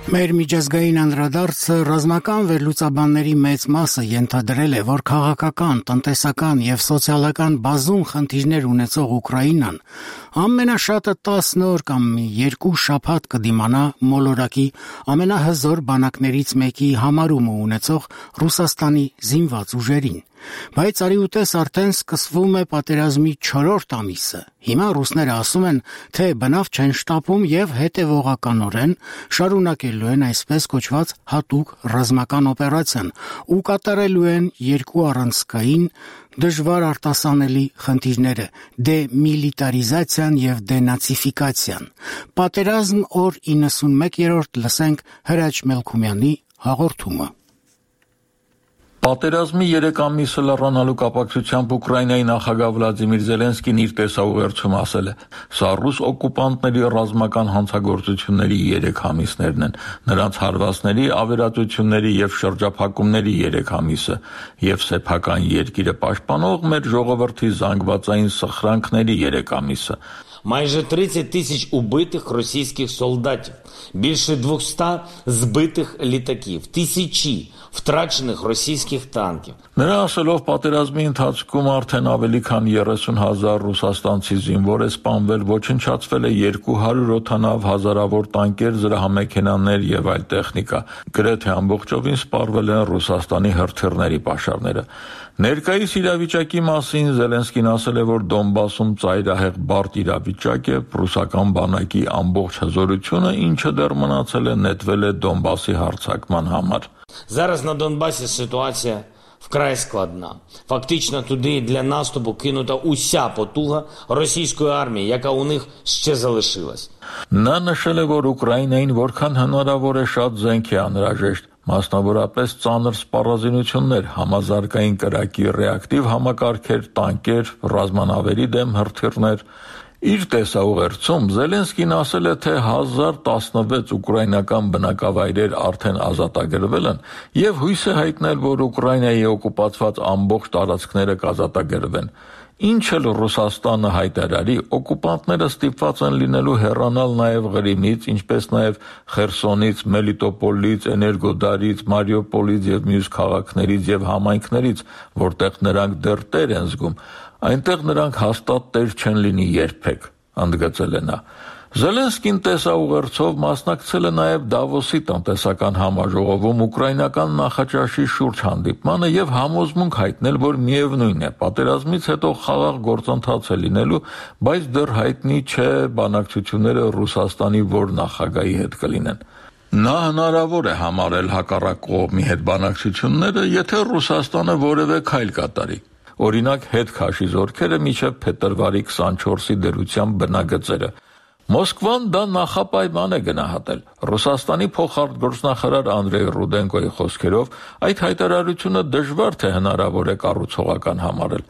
Մեր միջազգային անդրադարձը ռազմական վերլուծաբանների մեծ մասը ենթադրել է, որ քաղաքական, տնտեսական եւ սոցիալական բազում խնդիրներ ունեցող Ուկրաինան ամենաշատը 10 օր կամ 2 շաբաթ կդիմանա մոլորակի ամենահզոր բանակներից մեկի համարումը ունեցող Ռուսաստանի զինված ուժերին։ Բայց արիուտես արդեն սկսվում է պատերազմի 4-րդ ամիսը։ Հիմա ռուսները ասում են, թե բնավ չեն շտապում եւ հետեւողականորեն շարունակելու են այսպես կոչված հատուկ ռազմական օպերացիան ու կատարելու են երկու առանցքային դժվար արտասանելի խնդիրները՝ դեմիլիտարիզացիան եւ դենացիֆիկացիան։ Պատերազմ օր 91-րդ լսենք Հրաչ Մելքումյանի հաղորդումը։ Պատերազմի 3 ամիսը լեռանալու կապակցությամբ Ուկրաինայի նախագահ Վլադիմիր Զելենսկին իր տեսաուղերձում ասել է. «Սա ռուս օկուպանտների ռազմական հանցագործությունների 3 ամիսներն են, նրանց հարվածների, ավերածությունների եւ շրջափակումների 3 ամիսը եւ սեփական երկիրը պաշտպանող մեր ժողովրդի զանգվածային սխրանքների 3 ամիսը»։ Майже 30 тисяч убитих російських солдатів, більше 200 збитих літаків, тисячі втрачених російських танків. Նրա ասելով պատերազմի ընթացքում արդեն ավելի քան 30,000 ռուսաստանցի զինվոր է սպանվել, ոչնչացվել է 200 օդանավ, հազարավոր տանկեր, զրահամեքենաներ եւ այլ տեխնիկա։ Գրեթե ամբողջովին սպառվել են Ռուսաստանի հրթիռների պաշարները։ Ներկայիս իրավիճակի մասին Զելենսկին ասել է, որ Դոնբասում ծայրահեղ բարդ իրավիճակ է, ռուսական բանակի ամբողջ հզորությունը, ինչը դեռ մնացել է, նետվել է Դոնբասի հարձակման համար։ Зараз на Донбасі ситуація вкрай складна. Фактично туди для наступу кинута уся потуга російської армії, яка у них ще залишилась. Նա նշել է, որ Ուկրաինային որքան հնարավոր է շատ զենք է անհրաժեշտ, մասնավորապես ծանր սպառազինություններ, համազարգային կրակի ռեակտիվ համակարգեր, տանկեր, ռազմանավերի դեմ հրթիռներ։ Իր տեսաուղերձում Զելենսկին ասել է, թե 1016 ուկրաինական բնակավայրեր արդեն ազատագրվել են եւ հույս է հայտնել, որ Ուկրաինայի օկուպացված ամբողջ տարածքները կազատագրվեն։ Ինչ էլ Ռուսաստանը հայտարարի, օկուպանտները ստիպված են լինելու հեռանալ նաև Ղրիմից, ինչպես նաև Խերսոնից, Մելիտոպոլից, Էներգոդարից, Մարիուպոլից եւ մյուս քաղաքներից եւ համայնքներից, որտեղ նրանք դեռ տեր են զգում, այնտեղ նրանք հաստատ տեր չեն լինի երբեք, ընդգծել է նա։ Զելենսկին տեսաուղերձով մասնակցել է նաև Դավոսի տնտեսական համաժողովում ուկրաինական նախաճաշի շուրջ հանդիպմանը եւ համոզմունք հայտնել, որ միևնույն է, պատերազմից հետո խաղաղ գործընթաց է լինելու, բայց դեռ հայտնի չէ բանակցությունները Ռուսաստանի որ նախագահի հետ կլինեն։ Նա հնարավոր է համարել հակառակ կողմի հետ բանակցությունները, եթե Ռուսաստանը որևէ քայլ կատարի։ Օրինակ, հետ քաշի զորքերը մինչև փետրվարի 24-ի դրությամբ բնագծերը։ Մոսկվան դա նախապայման է գնահատել։ Ռուսաստանի փոխարտգործնախարար Անդրեյ Ռուդենկոյի խոսքերով այդ հայտարարությունը դժվար թե հնարավոր է կառուցողական համարել։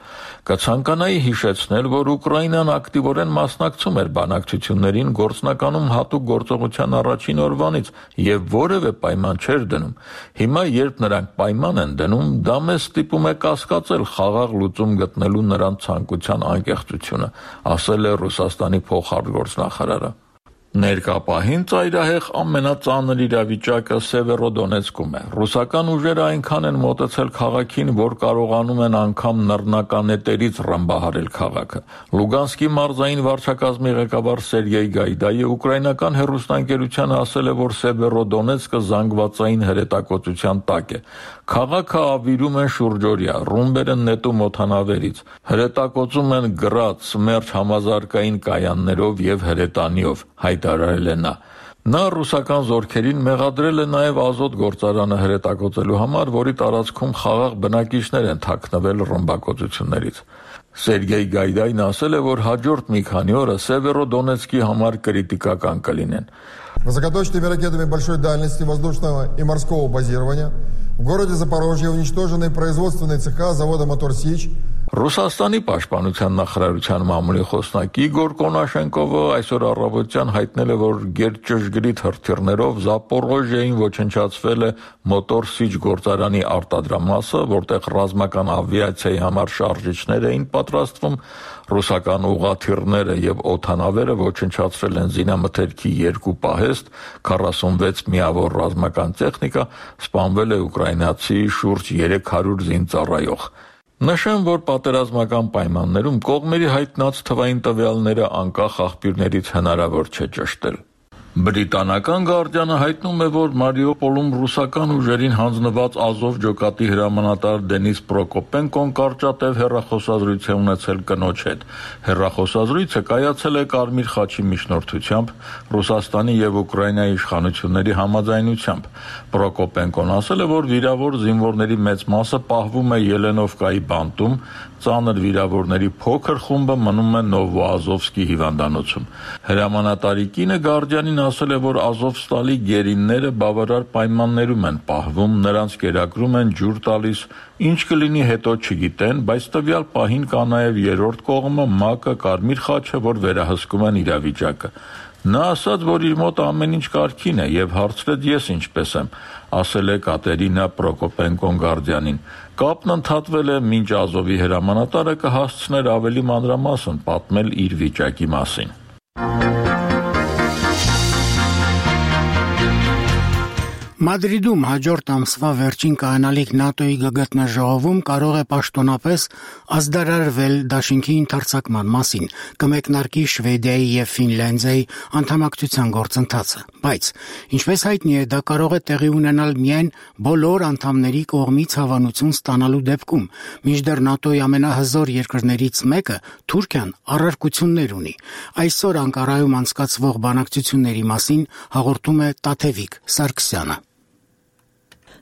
Կցանկանայի հիշեցնել, որ Ուկրաինան ակտիվորեն մասնակցում էր բանակցություններին գործնականում հատուկ գործողության առաջին օրվանից եւ որևէ պայման չէր դնում։ Հիմա, երբ նրանք պայման են դնում, դա մեզ ստիպում է կասկածել խաղաղ լուծում գտնելու նրանց ցանկության անկեղծությունը, ասել է Ռուսաստանի փոխարտգործնախարարը։ Ներկա պահին ծայրահեղ ամենածանր իրավիճակը Սևերոդոնեցկում է։ Ռուսական ուժերը այնքան են մոտեցել քաղաքին, որ կարողանում են անգամ նռնականետերից ռմբահարել քաղաքը։ Լուգանսկի մարզային վարչակազմի ղեկավար Սերգեյ Գայդայը ուկրաինական հեռուստաընկերությանը ասել է, որ Սևերոդոնեցկը զանգվածային հրետակոծության տակ է։ Քաղաքը ավիրում են շուրջօրյա, ռումբեր են նետում օդանավերից, հրետակոծում են գրադ, սմերջ համազարգային կայաններով եւ հրետանիով, հայտարարել է նա։ Նա ռուսական զորքերին մեղադրել է նաև ազոտ գործարանը հրետակոծելու համար, որի տարածքում խաղաղ բնակիչներ են թաքնվել ռմբակոծություններից։ Սերգեյ Գայդային ասել է, որ հաջորդ մի քանի օրը Սևերոդոնեցկի համար կրիտիկական կլինեն։ Высокоточными ракетами большой дальности воздушного и морского базирования в городе Запорожье уничтожены производственные цеха завода «Мотор Сич». Ռուսաստանի պաշտպանության նախարարության մամուլի խոսնակ Իգոր Կոնաշենկովը այսօր առավոտյան հայտնել է, որ գերճշգրիտ հրթիռներով Զապորոժիային ոչնչացվել է «Մոտոր Սիչ» գործարանի արտադրամասը, որտեղ ռազմական ավիացիայի համար շարժիչներ էին պատրաստվում, ռուսական ուղղաթիռները եւ օդանավերը ոչնչացրել են զինամթերքի 2 պահեստ, 46 միավոր ռազմական տեխնիկա, սպանվել է ուկրաինացի շուրջ 300 զինծառայող։ Նշեմ, որ պատերազմական պայմաններում կողմերի հայտնած թվային տվյալները անկախ աղբյուրներից հնարավոր չէ ճշտել։ Բրիտանական Գարդիանը հայտնում է, որ Մարիուպոլում ռուսական ուժերին հանձնված Ազով ջոկատի հրամանատար Դենիս Պրոկոպենկոն կարճատև հեռախոսազրույց է ունեցել կնոջ հետ։ Հեռախոսազրույցը կայացել է Կարմիր խաչի միջնորդությամբ, Ռուսաստանի եւ Ուկրաինայի իշխանությունների համաձայնությամբ։ Պրոկոպենկոն ասել է, որ վիրավոր զինվորների մեծ մասը պահվում է Ելենովկայի բանտում, ծանր վիրավորների փոքր խումբը մնում է Նովոազովսկի հիվանդանոցում։ Հրամանատարի կինը Գարդիանին ասել է, որ Ազովստալի գերինները բավարար պայմաններում են պահվում, նրանց կերակրում են ջուր տալիս, ինչ կլինի հետո չգիտեն, բայց տվյալ պահին կա նաև երրորդ կողմը, ՄԱԿ-ը, Կարմիր խաչը, որ վերահսկում են իրավիճակը։ Նա ասաց, որ իր մոտ ամեն ինչ կարգին է եւ հարցրեց ես ինչպես եմ, ասել է Կատերինա Պրոկոպենկոն Գարդիանին։ Կապն ընդհատվել է, մինչ Ազովի հրամանատարը կհասցներ ավելի մանրամասն պատմել իր վիճակի մասին։ Մադրիդում հաջորդ ամսվա վերջին կայանալիք ՆԱՏՕ-ի գգտնաժողովում կարող է պաշտոնապես ազդարարվել դաշինքի ընդարձակման մասին, կմեկնարկի Շվեդիայի եւ Ֆինլանդիայի անդամակցության գործընթացը, բայց ինչպես հայտնի է, դա կարող է տեղի ունենալ միայն բոլոր անդամների կողմից հավանություն ստանալու դեպքում, մինչդեռ ՆԱՏՕ-ի ամենահզոր երկրներից մեկը Թուրքիան առարկություններ ունի։ Այսօր Անկարայում անցկացվող բանակցությունների մասին հաղորդում է Տաթևիկ Սարգսյանը։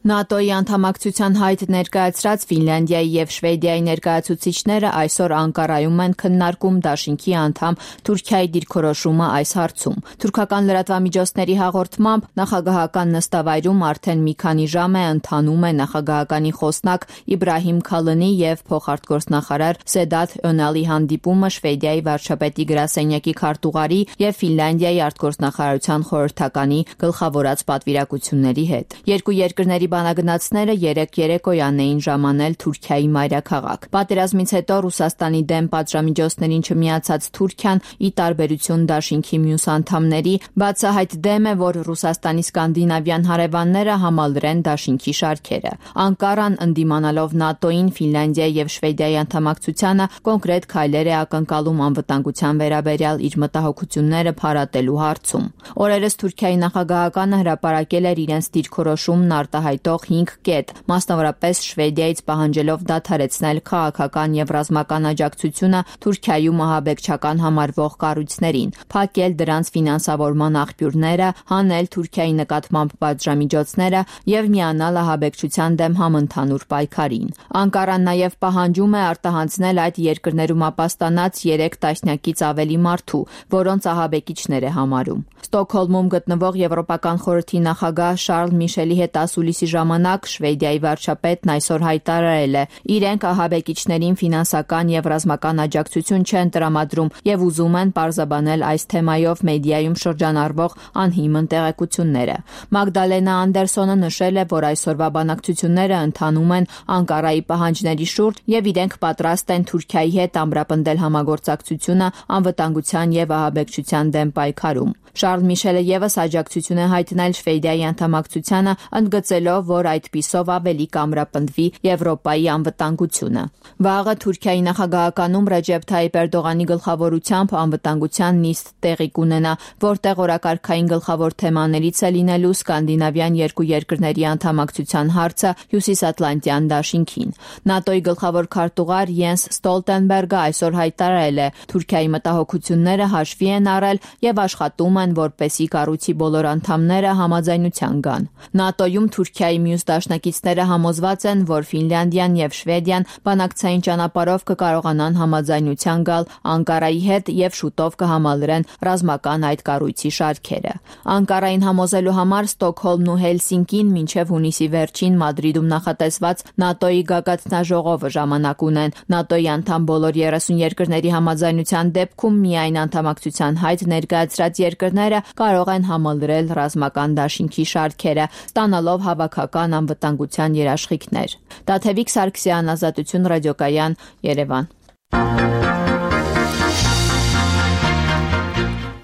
ՆԱՏՕ-ի անդամակցության հայտ ներկայացրած Ֆինլանդիայի եւ Շվեդիայի ներկայացուցիչները այսօր Անկարայում են քննարկում դաշինքի անդամ Թուրքիայի դիրքորոշումը այս հարցում։ Թուրքական լրատվամիջոցների հաղորդմամբ նախագահական նստավայրում արդեն մի քանի ժամ է ընթանում է նախագահականի խոսնակ Իբրահիմ Քալնի եւ փոխարտգործնախարար Սեդաթ Օնալի հանդիպումը Շվեդիայի վարչապետի գրասենյակի քարտուղարի եւ Ֆինլանդիայի արտգործնախարարության խորհրդականի գլխավորած պատվիրակությունների հետ։ Երկու երկրների բանագնացները երեկոյան էին ժամանել Թուրքիայի մայրաքաղաք։ Պատերազմից հետո Ռուսաստանի դեմ պատժամիջոցներին չմիացած Թուրքիան, ի տարբերություն դաշինքի մյուս անդամների, բացահայտ դեմ է, որ Ռուսաստանի սկանդինավյան հարևանները համալրեն դաշինքի շարքերը։ Անկարան, ընդդիմանալով ՆԱՏՕ-ին, Ֆինլանդիայի եւ Շվեդիայի անդամակցությանը, կոնկրետ քայլեր է ակնկալում անվտանգության վերաբերյալ իր մտահոգությունները փարատելու հարցում։ Օրերս Թուրքիայի նախագահականը հրապարակել էր իրենց դիրքորոշումն արտահայտող 5 կետ, մասնավորապես Շվեդիայից պահանջելով դադարեցնել քաղաքական եւ ռազմական աջակցությունը Թուրքիայում ահաբեկչական համարվող կառույցներին, փակել դրանց ֆինանսավորման աղբյուրները, հանել Թուրքիայի նկատմամբ պատժամիջոցները եւ միանալ ահաբեկչության դեմ համընդհանուր պայքարին։ Անկարան նաեւ պահանջում է արտահանձնել այդ երկրներում ապաստանած 3 տասնյակից ավելի մարդու, որոնց ահաբեկիչներ է համարում։ Ստոկհոլմում գտնվող Եվրոպական խորհրդի նախագահ Շարլ Միշելի հետ ասուլիսի ժամանակ Շվեդիայի վարչապետն այսօր հայտարարել է. իրենք ահաբեկիչներին ֆինանսական եւ ռազմական աջակցություն չեն տրամադրում եւ ուզում են պարզաբանել այս թեմայով մեդիայում շրջանառվող անհիմն տեղեկությունները։ Մագդալենա Անդերսոնը նշել է, որ այսօրվա բանակցությունները ընթանում են Անկարայի պահանջների շուրջ եւ իրենք պատրաստ են Թուրքիայի հետ ամրապնդել համագործակցությունը անվտանգության եւ ահաբեկչության դեմ պայքարում։ Շարլ Միշելը եւս աջակցություն է հայտնել Շվեդիայի անդամակցությանը, ընդգծելով, որ այդպիսով ավելի կամրապնդվի Եվրոպայի անվտանգությունը։ Վաղը Թուրքիայի նախագահականում Ռեջեփ Թայիպ Էրդողանի գլխավորությամբ անվտանգության նիստ տեղի կունենա, որտեղ օրակարգային գլխավոր թեմաներից է լինելու սկանդինավյան երկու երկրների անդամակցության հարցը Հյուսիսատլանտյան դաշինքին։ ՆԱՏՕ-ի գլխավոր քարտուղար Յենս Ստոլտենբերգը այսօր հայտարարել է. Թուրքիայի մտահոգությունները հաշվի են առել եւ աշխատում են, որպեսզի կառույցի բոլոր անդամները համաձայնության գան։ ՆԱՏՕ-ում Թուրքիայի մյուս դաշնակիցները համոզված են, որ Ֆինլանդիան եւ Շվեդիան բանակցային ճանապարհով կկարողանան համաձայնության գալ Անկարայի հետ եւ շուտով կհամալրեն ռազմական այդ կառույցի շարքերը։ Անկարային համոզելու համար Ստոկհոլմն ու Հելսինկին մինչեւ հունիսի վերջին Մադրիդում նախատեսված ՆԱՏՕ-ի գագաթնաժողովը ժամանակ ունեն։ ՆԱՏՕ-ի անդամ բոլոր 30 երկրների համաձայնության դեպքում միայն անդամակցության հայտ ներկայացրած երկրները կարող են համալրել ռազմական դաշինքի շարքերը, ստանալով հավաքական անվտանգության երաշխիքներ։ Տաթևիկ Սարգսյան, Ազատություն ռադիոկայան, Երևան։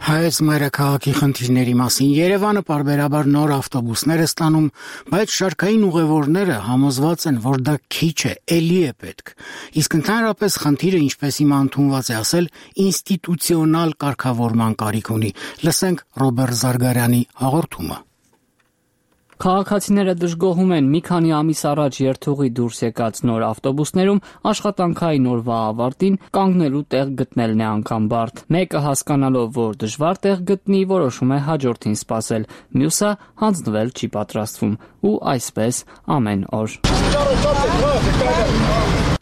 Հայոց մայրաքաղաքի խնդիրների մասին Երևանը պարբերաբար նոր ավտոբուսներ է ստանում, բայց շարքային ուղևորները համոզված են, որ դա քիչ է, էլի է պետք։ Իսկ ընդհանրապես խնդիրը, ինչպես հիմա ընդունված է ասել, ինստիտուցիոնալ կարգավորման կարիք ունի։ Լսենք Ռոբերտ Զարգարյանի հաղորդումը։ Քաղաքացիները դժգոհում են մի քանի ամիս առաջ երթուղի դուրս եկած նոր ավտոբուսներում աշխատանքային օրվա ավարտին կանգնելու տեղ գտնելն է անգամ բարդ։ Մեկը հասկանալով, որ դժվար տեղ գտնի, որոշում է հաջորդին սպասել, մյուսը հանձնվել չի պատրաստվում ու այսպես ամեն օր։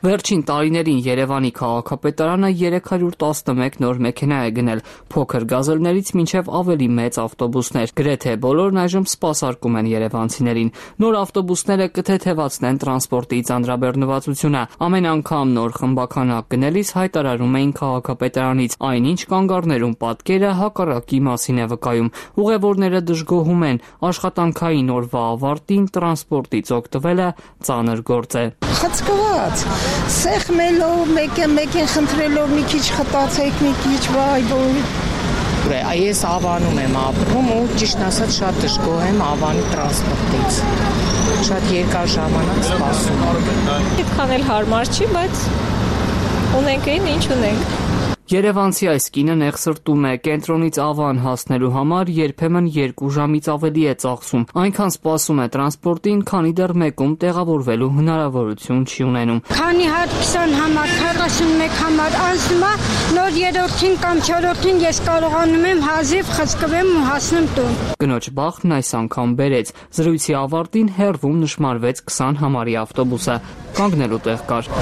Վերջին տարիներին Երևանի քաղաքապետարանը 311 նոր մեքենա է գնել, փոքր գազելներից մինչև ավելի մեծ ավտոբուսներ։ Գրեթե բոլորն այժմ սպասարկում են երևանցիներին։ Նոր ավտոբուսները կթեթևացնեն տրանսպորտի ծանրաբեռնվածությունը։ Ամեն անգամ նոր խմբականակ գնելիս հայտարարում էին քաղաքապետարանից, այնինչ կանգառներում պատկերը հակառակի մասին է վկայում։ Ուղևորները դժգոհում են, աշխատանքային օրվա ավարտին տրանսպորտից օգտվելը ծանր գործ է։ Խցկված, սեղմելով, մեկ են խնդրելով մի քիչ խտացեք, մի քիչ վայ, Ես Ավանում եմ ապրում ու ճիշտ ասած շատ դժգոհ եմ Ավանի տրանսպորտից։ Շատ երկար ժամանակ սպասում եմ։ Այդքան էլ հարմար չի, բայց ունենք ինչ ունենք։ Երևանցի այս կինը նեղսրտում է, կենտրոնից Ավան հասնելու համար երբեմն 2 ժամից ավելի է ծախսում, այնքան սպասում է տրանսպորտին, քանի դեռ մեկում տեղավորվելու հնարավորություն չի ունենում։ Քանի հատ 20 համար, 41 համար անցնում է, նոր 3-ին կամ 4-ին ես կարողանում եմ հազիվ խցկվեմ ու հասնեմ տուն։ Կնոջ բախտն այս անգամ բերեց։ Զրույցի ավարտին հեռվում նշմարվեց 20 համարի ավտոբուսը, կանգնելու տեղ կար։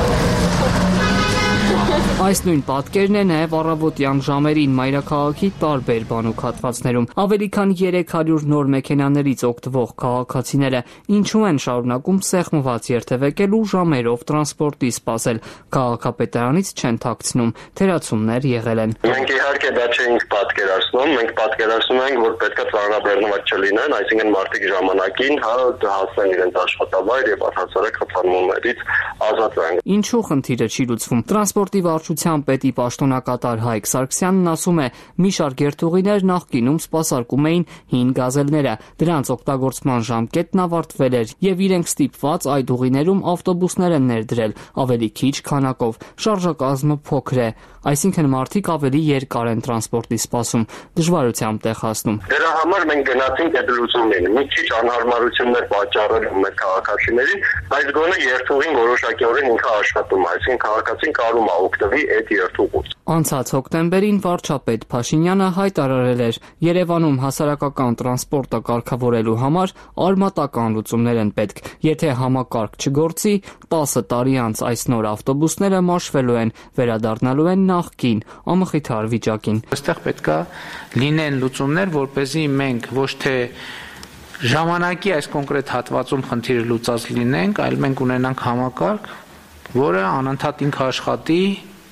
Այս նույն պատկերն է նաև առավոտյան ժամերին մայրաքաղաքի տարբեր բանուկ հատվածներում։ Ավելի քան 300 նոր մեքենաներից օգտվող քաղաքացիները ինչու են շարունակում սեղմված երթևեկել ու ժամերով տրանսպորտի սպասել, քաղաքապետարանից չեն թաքցնում, թերացումներ եղել են։ Մենք իհարկե դա չէինք պատկերացնում, մենք պատկերացնում ենք, որ պետք է ծանրաբեռնված չլինեն, այսինքն մարդիկ ժամանակին հասնեն իրենց աշխատավայր եւ առհասարակ խթանումներից ազատվեն։ Ինչու խնդիրը չի լուծվում։ Տրանսպորտի վարչության պետի պաշտոնակատար Հայկ Սարգսյանն ասում է, մի շարք երթուղիներ նախկինում սպասարկում էին հին գազելները, դրանց օգտագործման ժամկետն ավարտվել էր եւ իրենք ստիպված այդ ուղիներում ավտոբուսներ են ներդրել ավելի քիչ քանակով, շարժակազմը փոքր է, այսինքն մարդիկ ավելի երկար են տրանսպորտի սպասում, դժվարությամբ տեղ հասնում։ Դրա համար մենք գնացինք այդ լուծումին, մի քիչ անհարմարություններ պատճառելու մեր քաղաքացիներին, բայց գոնե երթուղին որոշակիորեն ինքը աշխատում է, այսինքն քաղաքացին կարում է օգտվի այդ երթուղուց։ Անցած հոկտեմբերին վարչապետ Փաշինյանը հայտարարել էր, Երևանում հասարակական տրանսպորտը կարգավորելու համար արմատական լուծումներ են պետք։ Եթե համակարգ չգործի, 10 տարի անց այս նոր ավտոբուսները մաշվելու են, վերադառնալու են նախկին ամխիթար վիճակին։ Այստեղ պետք է լինեն լուծումներ, որպեսզի մենք ոչ թե ժամանակի այս կոնկրետ հատվածում խնդիրը լուծած լինենք, այլ մենք ունենանք համակարգ, որը անընդհատ ինքը աշխատի,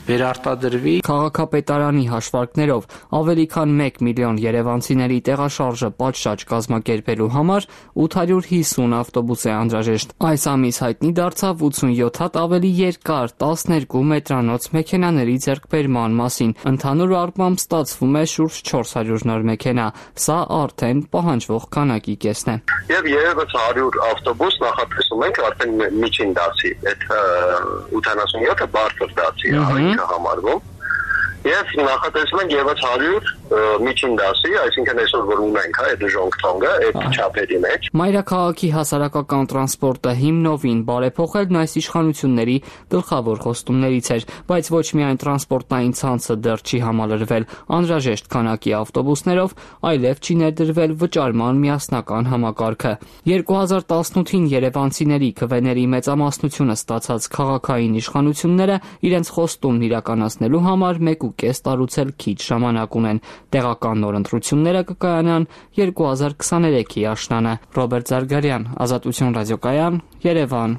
վերարտադրվի։ Քաղաքապետարանի հաշվարկներով ավելի քան 1 միլիոն երևանցիների տեղաշարժը պատշաճ կազմակերպելու համար 850 ավտոբուս է անհրաժեշտ։ Այս ամիս հայտնի դարձավ 87 հատ ավելի երկար 12 մետրանոց մեքենաների ձեռքբերման մասին։ Ընդհանուր առմամբ ստացվում է շուրջ 400 նոր մեքենա։ Սա արդեն պահանջվող քանակի կեսն է։ Եվ 300 ավտոբուս նախատեսում ենք արդեն միջին դասի, այդ 87-ը բարձր դասի է համարվում եւ նախատեսում ենք եւս 100 միջին դասի, այսինքն այսօր որ ունենք այդ ժոնգթոնգը, այդ չափերի մեջ։ Մայրաքաղաքի հասարակական տրանսպորտը հիմնովին բարեփոխելն այս իշխանությունների գլխավոր խոստումներից էր, բայց ոչ միայն տրանսպորտային ցանցը դեռ չի համալրվել անհրաժեշտ քանակի ավտոբուսներով, այլև չի ներդրվել վճարման միասնական համակարգը։ 2018-ին երևանցիների քվեների մեծամասնությունը ստացած քաղաքային իշխանությունները իրենց խոստումն իրականացնելու համար 1.5 տարուց էլ քիչ ժամանակ ունեն։ Տեղական նոր ընտրությունները կկայանան 2023-ի աշնանը։ Ռոբերտ Զարգարյան, Ազատություն ռադիոկայան, Երևան։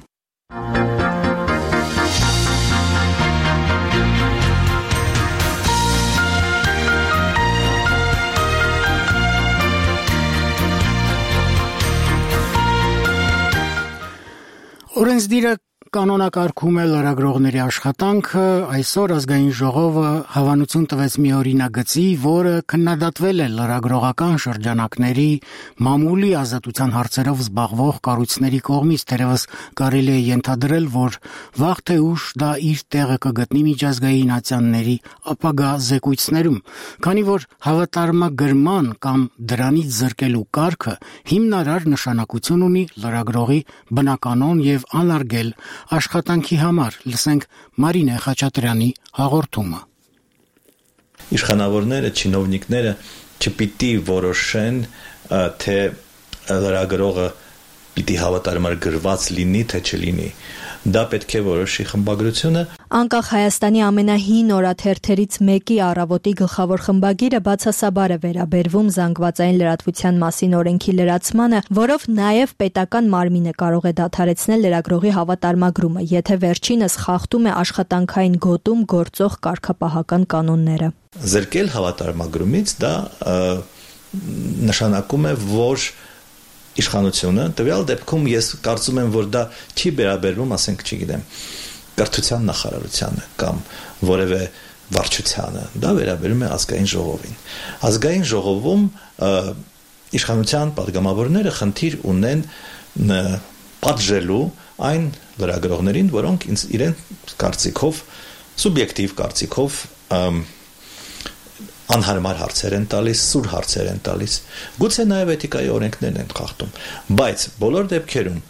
Օրենսդիրը կանոնակարգում է լրագրողների աշխատանքը, այսօր ազգային ժողովը հավանություն տվեց մի օրինագծի, որը քննադատվել է լրագրողական շրջանակների մամուլի ազատության հարցերով զբաղվող կառույցների կողմից, թերևս կարելի է ենթադրել, որ վաղ թե ուշ դա իր տեղը կգտնի միջազգային ատյանների ապագա զեկույցներում, քանի որ հավատարմագրման կամ դրանից զրկելու կարգը հիմնարար նշանակություն ունի լրագրողի բնականոն եւ անարգել աշխատանքի համար։ Լսենք Մարինե Խաչատրյանի հաղորդումը։ Իշխանավորները, չինովնիկները չպիտի որոշեն, թե լրագրողը պիտի հավատարմագրված լինի, թե չլինի։ Դա պետք է որոշի խմբագրությունը։ Անկախ Հայաստանի ամենահին օրաթերթերից մեկի Առավոտի գլխավոր խմբագիրը բացասաբար է վերաբերվում զանգվածային լրատվության մասին օրենքի լրացմանը, որով նաև պետական մարմինը կարող է դադարեցնել լրագրողի հավատարմագրումը, եթե վերջինս խախտում է աշխատանքային գոտում գործող կարգապահական կանոնները։ Զրկել հավատարմագրումից դա նշանակում է, որ իշխանությունը տվյալ դեպքում ես կարծում եմ, որ դա չի վերաբերվում, ասենք, չգիտեմ, կրթության նախարարությանը կամ որևէ վարչությանը, դա վերաբերում է ազգային ժողովին։ Ազգային ժողովում իշխանության падգամավորները խնդիր ունեն պատժելու այն լրագրողներին, որոնք իրեն կարծիքով, սուբյեկտիվ կարծիքով անհարմար հարցեր են տալիս, սուր հարցեր են տալիս։ Գուցե նաև էթիկայի օրենքներն են խախտում, բայց բոլոր դեպքերում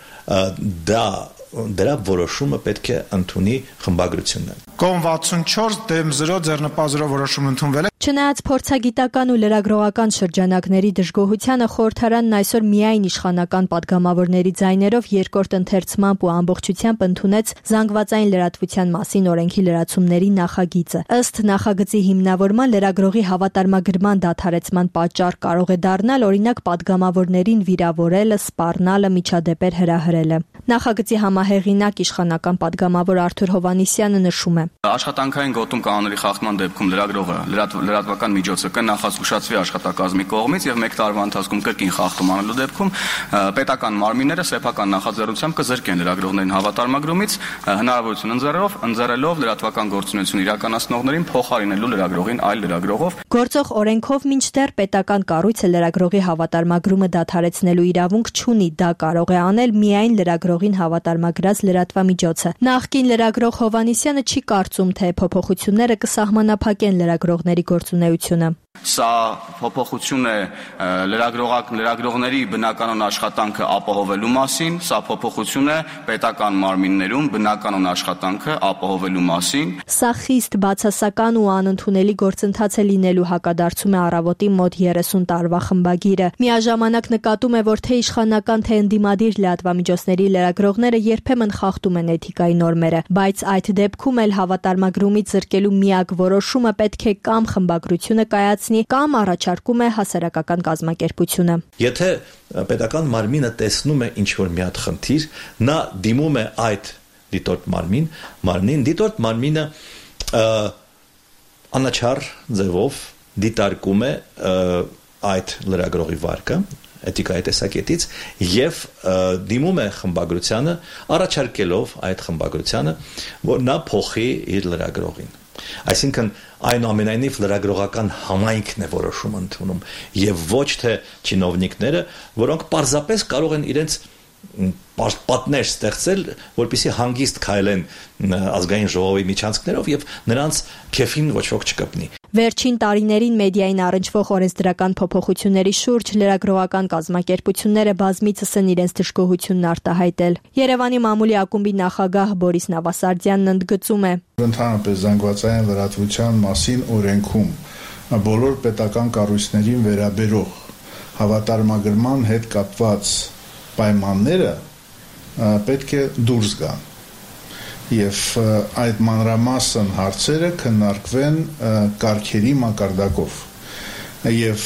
դրա որոշումը պետք է ընդունի խմբագրությունը։ Կողմ 64 դեմ 0 ձեռնպազրով որոշում ընդունվել է։ Չնայած փորձագիտական ու լրագրողական շրջանակների դժգոհությանը խորհրդարանն այսօր միայն իշխանական падգամավորների ձայներով երկրորդ ընթերցմամբ ու ամբողջությամբ ընդունեց զանգվածային լրատվության մասին օրենքի լրացումների նախագիծը։ Ըստ նախագծի հիմնավորման լրագրողի հավատարմագրման դադարեցման պատճառ կարող է դառնալ օրինակ падգամավորներին վիրավորելը, սպառնալը, միջադեպեր հրահրելը։ Նախագծի համահեղինակ իշխանական падգամավոր Արթուր Հովհաննիսյանը նշում է. Աշխատանքային գոտում կանոնների խախտման դեպքում լրագրողը լրատվական միջոցը կնախազգուշացվի աշխատակազմի կողմից եւ 1 տարվա ընթացքում կրկին խախտում անելու դեպքում պետական մարմինները սեփական նախաձեռնությամբ կզրկեն լրագրողներին հավատարմագրումից, հնարավորություն ընձեռելով լրատվական գործունեություն իրականացնողներին փոխարինելու լրագրողին այլ լրագրողով։ Գործող օրենքով մինչդեռ պետական կառույցը լրագրողի հավատարմագրումը դադարեցնելու իրավունք չունի, դա կարող է անել միայն լրագրողին հավատարմագրած լրատվամիջոցը։ Նախկին լրագրող Հովհաննիսյանը չի կարծում, թե փոփոխությունները կսահմանափակեն լրագրողների գործունեությունը։ Սա փոփոխություն է լրագրողների բնականոն աշխատանքը ապահովելու մասին, սա փոփոխություն է պետական մարմիններում բնականոն աշխատանքը ապահովելու մասին։ Սա խիստ բացասական ու անընդունելի գործընթաց է լինելու, հակադարձում է Առավոտի մոտ 30 տարվա խմբագիրը։ Միաժամանակ նկատում է, որ թե իշխանական, թե ընդդիմադիր լրատվամիջոցների լրագրողները երբեմն խախտում են էթիկայի նորմերը, բայց այդ դեպքում էլ հավատարմագրումից զրկելու միակ որոշումը պետք է կամ խմբագրությունը կայացնի, կամ առաջարկում է հասարակական կազմակերպությունը։ Եթե պետական մարմինը տեսնում է ինչ-որ մի հատ խնդիր, նա դիմում է այդ դիտորդ մարմին, դիտորդ մարմինը անաչառ ձևով դիտարկում է այդ լրագրողի վարկը էթիկայի տեսակետից եւ դիմում է խմբագրությանը, առաջարկելով այդ խմբագրությանը, որ նա փոխի իր լրագրողին։ Այսինքն այնուամենայնիվ լրագրողական համայնքն է որոշում ընդունում եւ ոչ թե չինովնիկները, որոնք պարզապես կարող են իրենց պատներ ստեղծել, որպեսզի հանգիստ քայլեն ազգային ժողովի միջանցքներով եւ նրանց քեֆին ոչ ոք չկպնի։ Վերջին տարիներին մեդիային առնչվող օրենսդրական փոփոխությունների շուրջ լրագրողական կազմակերպությունները բազմիցս են իրենց դժգոհությունն արտահայտել։ Երևանի մամուլի ակումբի նախագահ Բորիս Նավասարդյանն ընդգծում է. Ընդհանրապես զանգվածային լրատվության մասին օրենքում բոլոր պետական կառույցներին վերաբերող հավատարմագրման հետ կապված պայմանները պետք է դուրս գան եւ այդ մանրամասն հարցերը քննարկվեն կարգերի մակարդակով եւ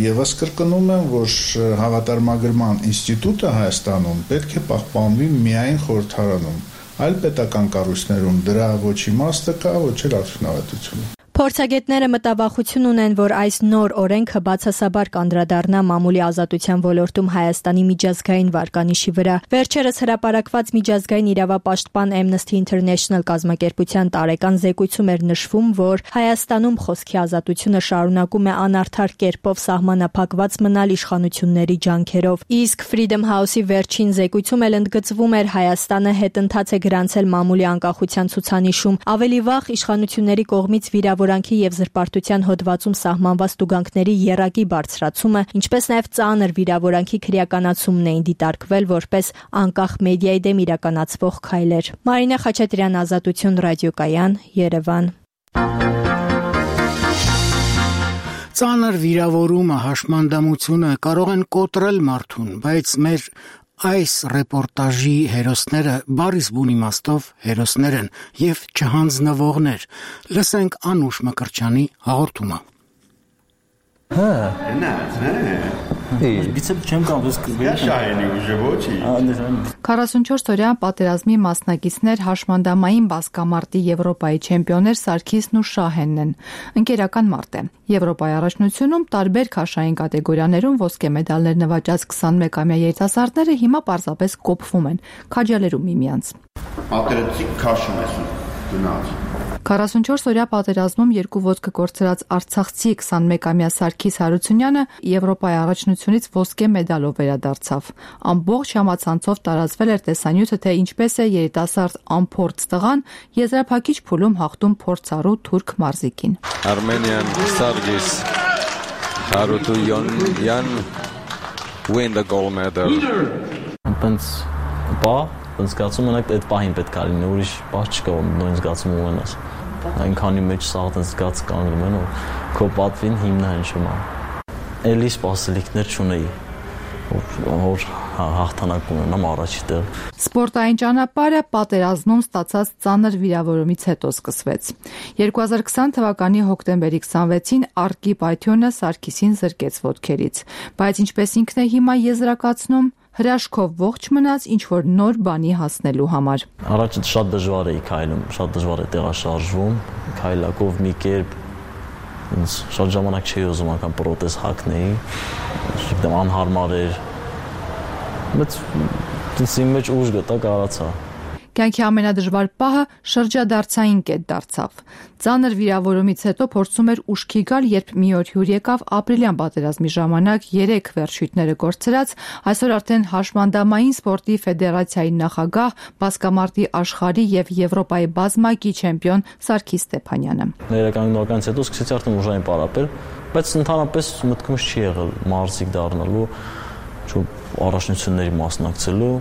եւս կրկնում եմ, որ հավատարմագրման ինստիտուտը Հայաստանում պետք է պահպանվի միայն խորհրդարանում, այլ պետական կառույցներում դրա ոչ իմաստը կա, ոչ էլ արդյունավետությունը։ Փորձագետները մտավախություն ունեն, որ այս նոր օրենքը բացասաբար կանդրադառնա մամուլի ազատության ոլորտում Հայաստանի միջազգային վարկանիշի վրա։ Վերջերս հրապարակված միջազգային իրավապաշտպան Amnesty International կազմակերպության տարեկան զեկույցում էր նշվում, որ Հայաստանում խոսքի ազատությունը շարունակում է անարդար կերպով սահմանափակված մնալ իշխանությունների ջանքերով։ Իսկ Freedom House-ի վերջին զեկույցում էլ ընդգծվում էր Հայաստանը հետընթաց է գրանցել մամուլի անկախության ցուցանիշում, ավելի վաղ իշխանությունների կողմից վիրավորանքի եւ զրպարտության հոդվածում սահմանված տուգանքների եռակի բարձրացումը, ինչպես նաեւ ծանր վիրավորանքի քրեականացումն էին դիտարկվել որպես անկախ մեդիայի դեմ իրականացվող քայլեր։ Մարինա Խաչատրյան, Ազատություն, ռադիոկայան, Երևան։ Ծանր վիրավորումը, հաշմանդամությունը կարող են կոտրել մարդուն, բայց մեր այս ռեպորտաժի հերոսները բառիս բուն իմաստով հերոսներ են եւ չհանձնվողներ։ Լսենք Անուշ Մկրտչյանի հաղորդումը։ Բիցեպ չեմ կարող սկսել։ 44-օրյա պատերազմի մասնակիցներ հաշմանդամային բասկամարտի Եվրոպայի չեմպիոններ Սարգիսն ու Շահենն են։ Ընկերական մարտ է։ Եվրոպայի առաջնությունում տարբեր քաշային կատեգորիաներում ոսկե մեդալներ նվաճած 21-ամյա երիտասարդները հիմա պարզապես կոփվում են, քաջալերում միմյանց։ Ատերեցիկ քաշում ես գնաց։ 44-օրյա պատերազմում երկու ոտքը կորցրած արցախցի 21-ամյա Սարգիս Հարությունյանը Եվրոպայի առաջնությունից ոսկե մեդալով վերադարձավ։ Ամբողջ համացանցով տարածվել էր տեսանյութը, թե ինչպես է երիտասարդ անփորձ տղան եզրափակիչ փուլում հաղթում փորձառու թուրք մարզիկին։ Armenian Sargis Harutyunyan win the gold medal. Զգացում ունեք այդ պահին պետք է լինի, ուրիշ բաց չկա, նույն զգացում ունենաս։ Այնքանի մեջ սաղ զգաց կանգնում են, որ քո պատվին հիմնահանջում է։ Էլի սպասելիքներ չունեի, որ հաղթանակ ունենամ առաջի տեղ։ Սպորտային ճանապարհը պատերազմում ստացած ծանր վիրավորումից հետո սկսվեց։ 2020 թվականի հոկտեմբերի 26-ին Արկիպ Այթյոնը Սարգիսին զրկեց ոտքերից, բայց ինչպես ինքն է հիմա եզրակացնում, հրաշքով ողջ մնաց ինչ-որ նոր բանի հասնելու համար։ Առաջ շատ դժվար էի քայլում, շատ դժվար է տեղաշարժվում, քայլակով մի կերպ ինձ շատ ժամանակ չէի ուզում անգամ պրոթեզ հագնեի, անհարմար էր։ Բայց ինձ մեջ ուժ գտա, կարողացա։ Կյանքի ամենադժվար պահը շրջադարձային կետ դարձավ։ Ծանր վիրավորումից հետո փորձում էր ուշքի գալ, երբ մի օր հյուր եկավ ապրիլյան պատերազմի ժամանակ 3 վերջույթները կորցրած, այսօր արդեն հաշմանդամային սպորտի ֆեդերացիայի նախագահ, բասկամարտի աշխարհի եւ Եվրոպայի բազմակի չեմպիոն Սարգիս Ստեփանյանը։ Ներկայացնողից հետո սկսեցի արդեն ուժային պարապել, բայց ընդհանրապես մտքումս չի եղել մարզիկ դառնալու, առաջնությունների մասնակցելու։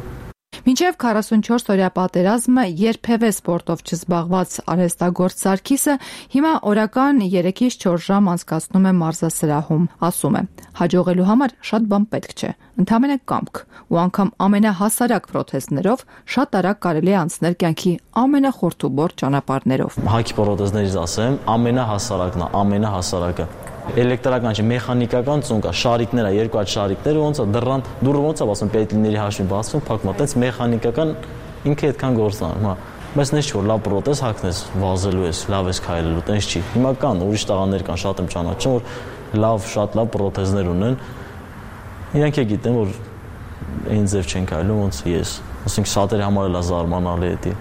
Մինչև 44-օրյա պատերազմը երբևէ սպորտով չզբաղված արհեստագործ Սարգիսը հիմա օրական 3-ից 4 ժամ անցկացնում է մարզասրահում, ասում է. հաջողելու համար շատ բան պետք չէ, ընդամենը կամք, ու անգամ ամենահասարակ պրոթեզներով շատ արագ կարելի է անցնել կյանքի ամենախորթուբորդ ճանապարհներով։ Հակի պրոթեզներից ասեմ, ամենահասարակն է, ամենահասարակը։ Էլեկտրական չէ, մեխանիկական ծունկ է, շարիկներ է, երկու հատ շարիկներ, ոնց է դռան, դուրը ոնց է ասում, պետլիների հաշվին բացվում, փակվում, այդպես մեխանիկական ինքը այդքան գործն է, բայց նես չի որ լավ պրոթեզ հագնես, վազելու ես, լավ ես քայլելու, տենց չի։ Հիմա կան ուրիշ տղաներ կան, շատ եմ ճանաչում, որ լավ, շատ լավ պրոթեզներ ունեն։ Իրանք է գիտեն, որ այն ձև չեն քայլում, ոնց ես։ Ասենք շատերի համար էլ է զարմանալի էդի։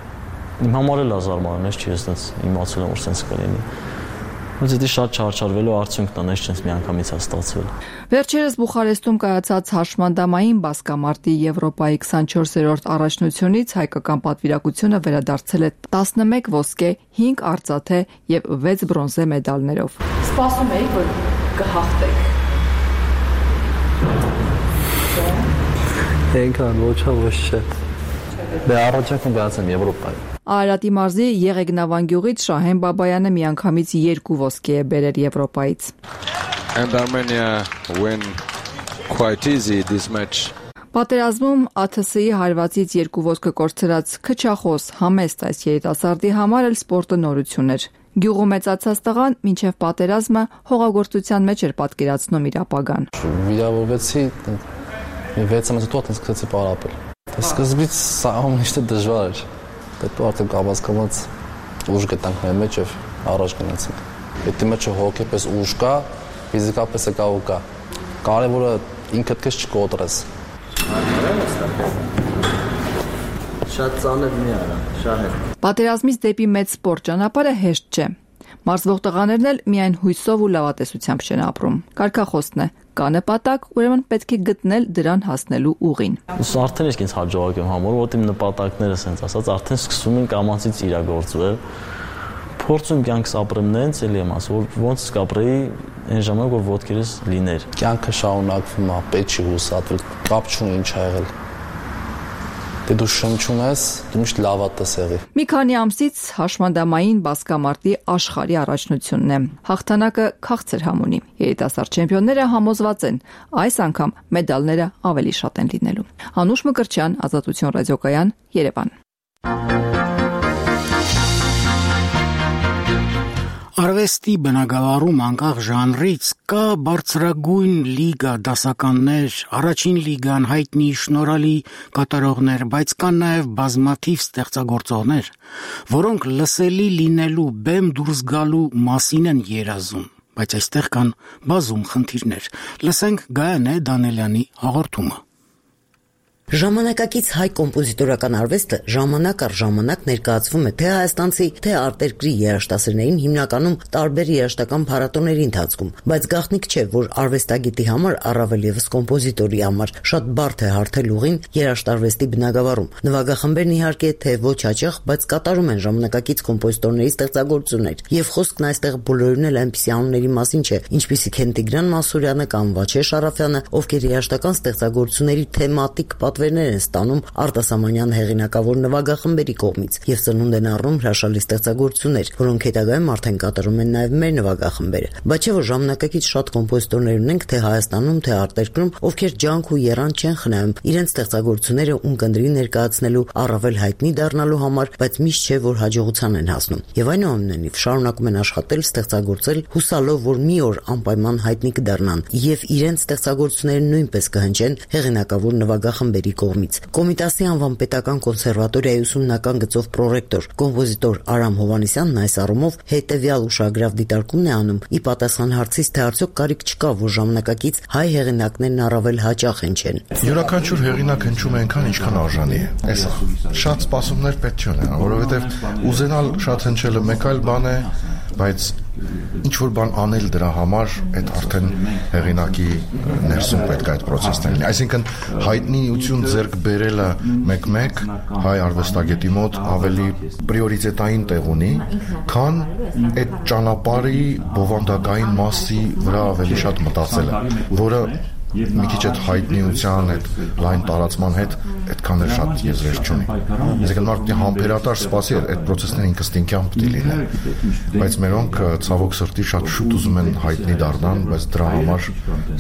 Իմ համար էլ է զարմանալի, չի ես տենց իմացել եմ, որ սենց կլինի։ Բայց դա շատ չարչարվելու արդյունքն է, նես չենց մի անգամից է ստացվել։ Վերջերս Բուխարեստում կայացած հաշմանդամային բասկամարտի Եվրոպայի 24-րդ առաջնությունից հայկական պատվիրակությունը վերադարձել է 11 ոսկե, 5 արծաթե եւ 6 բրոնզե մեդալներով։ Սպասում էի, որ կհաղթեք։ Այնքան ոչ չէ։ Դե առաջարկում գացեմ Եվրոպայի։ Արարատի մարզի Եղեգնավան գյուղից Շահեն Բաբայանը միանգամից 2 ոսկե է բերել Եվրոպայից։ And Armenia win quite easy this match. Պատերազմում ԱԹՍ-ի հարվածից 2 ոսկե կորցրած քչախոս համեստ այս երիտասարդի համար էլ սպորտը նորություն էր։ Գյուղում մեծացած տղան մինչև պատերազմը հողագործության մեջ էր պատկերացնում իր ապագան։ Վիրավորվեցի 6 ամիս հետո սկսեցի պարապել։ Սկզբից սա ամենից դժվար էր։ Պետք է արդեն կապացկված ուժ գտանք մեր մեջ եւ առաջ գնացինք։ Պետք է մեջը հոգեպես ուժ կա, ֆիզիկապես է կա ու կա։ Կարևորը ինքդ քեզ չկոտրես։ Շատ ծանր մի արա, շահեր։ Պատերազմից դեպի մեծ սպորտ ճանապարհը հեշտ չէ։ Մարզվող տղաներն էլ միայն հույսով ու լավատեսությամբ չեն ապրում։ Կարգախոսն է. կա նպատակ, ուրեմն պետք է գտնել դրան հասնելու ուղին։ Արդեն իսկ ինձ հաջողակ եմ համարում, որ իմ նպատակները ասենց ասած արդեն սկսում են կամացից իրագործվել։ Փորձում կյանքս ապրեմ նենց, էլի եմ ասում, որ ոնց կապրեի այն ժամանակ, որ ոտքերս լիներ։ Կյանքը շարունակվում է, պետք չի հուսատվել, կապ չունի ինչ ա եղել։ Դե դու շնչում ես, դու միշտ լավատես եղի։ Մի քանի ամսից հաշմանդամային բասկամարտի աշխարհի առաջնությունն է։ Հաղթանակը քաղցր համ ունի։ Երիտասարդ չեմպիոնները համոզված են, այս անգամ մեդալները ավելի շատ են լինելու։ Անուշ Մկրտչյան, Ազատություն ռադիոկայան, Երևան։ Արվեստի բնագավառում անկախ ժանրից կա բարձրագույն լիգա դասականներ, առաջին լիգան հայտնի շնորհալի կատարողներ, բայց կան նաև բազմաթիվ ստեղծագործողներ, որոնք լսելի լինելու բեմ դուրս գալու մասին են երազում, բայց այստեղ կան բազում խնդիրներ։ Լսենք Գայանե Դանելյանի հաղորդումը։ Ժամանակակից հայ կոմպոզիտորական արվեստը ժամանակ առ ժամանակ ներկայացվում է թե հայաստանցի, թե արտերկրի երաժշտասերներին հիմնականում տարբեր երաժշտական փառատոների ընթացքում, բայց գաղտնիք չէ, որ արվեստագետի համար, առավել ևս կոմպոզիտորի համար, շատ բարդ է հարթել ուղին երաժշտարվեստի բնագավառում։ Նվագախմբերն իհարկե թե ոչ հաճախ, բայց կատարում են ժամանակակից կոմպոզիտորների ստեղծագործություններ, եւ խոսքն այստեղ բոլորին էլ այնպիսի անունների մասին չէ, ինչպիսիք են Տիգրան Մասուրյանը կամ Վաչե Շարաֆյանը, ովքեր երաժշտական ստեղծագործությունների թեմատիկ պատվերներ են ստանում արտասահմանյան հեղինակավոր նվագախմբերի կողմից եւ ծնունդ են առնում հրաշալի ստեղծագործություններ, որոնք հետագայում արդեն կատարում են նաեւ մեր նվագախմբերը։ Բայց չէ՞ որ ժամանակակից շատ կոմպոզիտորներ ունենք թե Հայաստանում, թե արտերկրում, ովքեր ջանք ու եռանդ չեն խնայում իրենց ստեղծագործությունները ունկնդրի ներկայացնելու, առավել հայտնի դառնալու համար, բայց միշտ չէ որ հաջողության են հասնում։ Եվ այնուամենայնիվ շարունակում են աշխատել, ստեղծագործել, հուսալով, որ մի օր անպայման հայտնի կդառնան եւ իրենց ստեղծագործությունները նույնպես կհնչեն հեղինակավոր նվագախմբերի կողմից։ Կոմիտասի անվան պետական կոնսերվատորիայի ուսումնական գծով պրոռեկտոր, կոմպոզիտոր Արամ Հովհաննիսյանն այս առումով հետեւյալ ուշագրավ դիտարկումն է անում՝ ի պատասխան հարցից, թե արդյոք կարիք չկա, որ ժամանակակից հայ հեղինակներն առավել հաճախ հնչեն։ Յուրաքանչյուր հեղինակ հնչում է այնքան, ինչքան արժանի է։ Էսա շատ սպասումներ պետք չի ունենալ, որովհետեւ ուզենալ շատ հնչելը մեկ այլ բան է, բայց ինչ որ բան անել դրա համար, այդ արդեն հեղինակի ներսում պետք է այդ process-ն լինի։ Այսինքն հայտնիություն ձեռք բերելը մեկ-մեկ հայ արվեստագետի մոտ ավելի պրիորիտետային տեղ ունի, քան այդ ճանապարհի բովանդակային մասի վրա ավելի շատ մտածելը, որը մի քիչ այդ հայտնիության, այդ լայն տարածման հետ այդքան էլ շատ եզրեր չունի։ Այսինքն մարդը համբերատար սպասի այդ process-ները ինքնստինքյան պետք է լինեն, բայց մերոնք ցավոք սրտի շատ շուտ ուզում են հայտնի դառնան, բայց դրա համար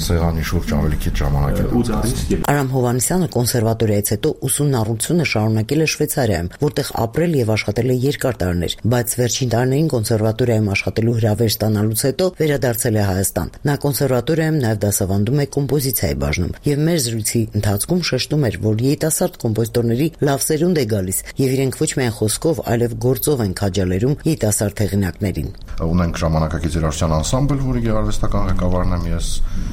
սեղանի շուրջ ավելի քիչ ժամանակ է անցկացնում։ Արամ Հովհաննիսյանը կոնսերվատորիայից հետո ուսումնառությունը շարունակել է Շվեյցարիայում, որտեղ ապրել եւ աշխատել է երկար տարիներ, բայց վերջին տարիներին կոնսերվատորիայում աշխատելու հրավեր ստանալուց հետո վերադարձել է Հայաստան։ Նա կոնսերվատորիայում նաեւ դասավանդում է կոմպոզիցիայի բաժնում եւ մեր զրույցի ընթացքում շեշտում էր, որ երիտասարդ կոմպոզիտորների լավ սերունդ է գալիս եւ իրենք ոչ միայն խոսքով, այլև գործով են քաջալերում երիտասարդ հեղինակներին։ Ունենք ժամանակակից երաժշտության անսամբլ, որի գեղարվեստական ղեկավարն եմ ես,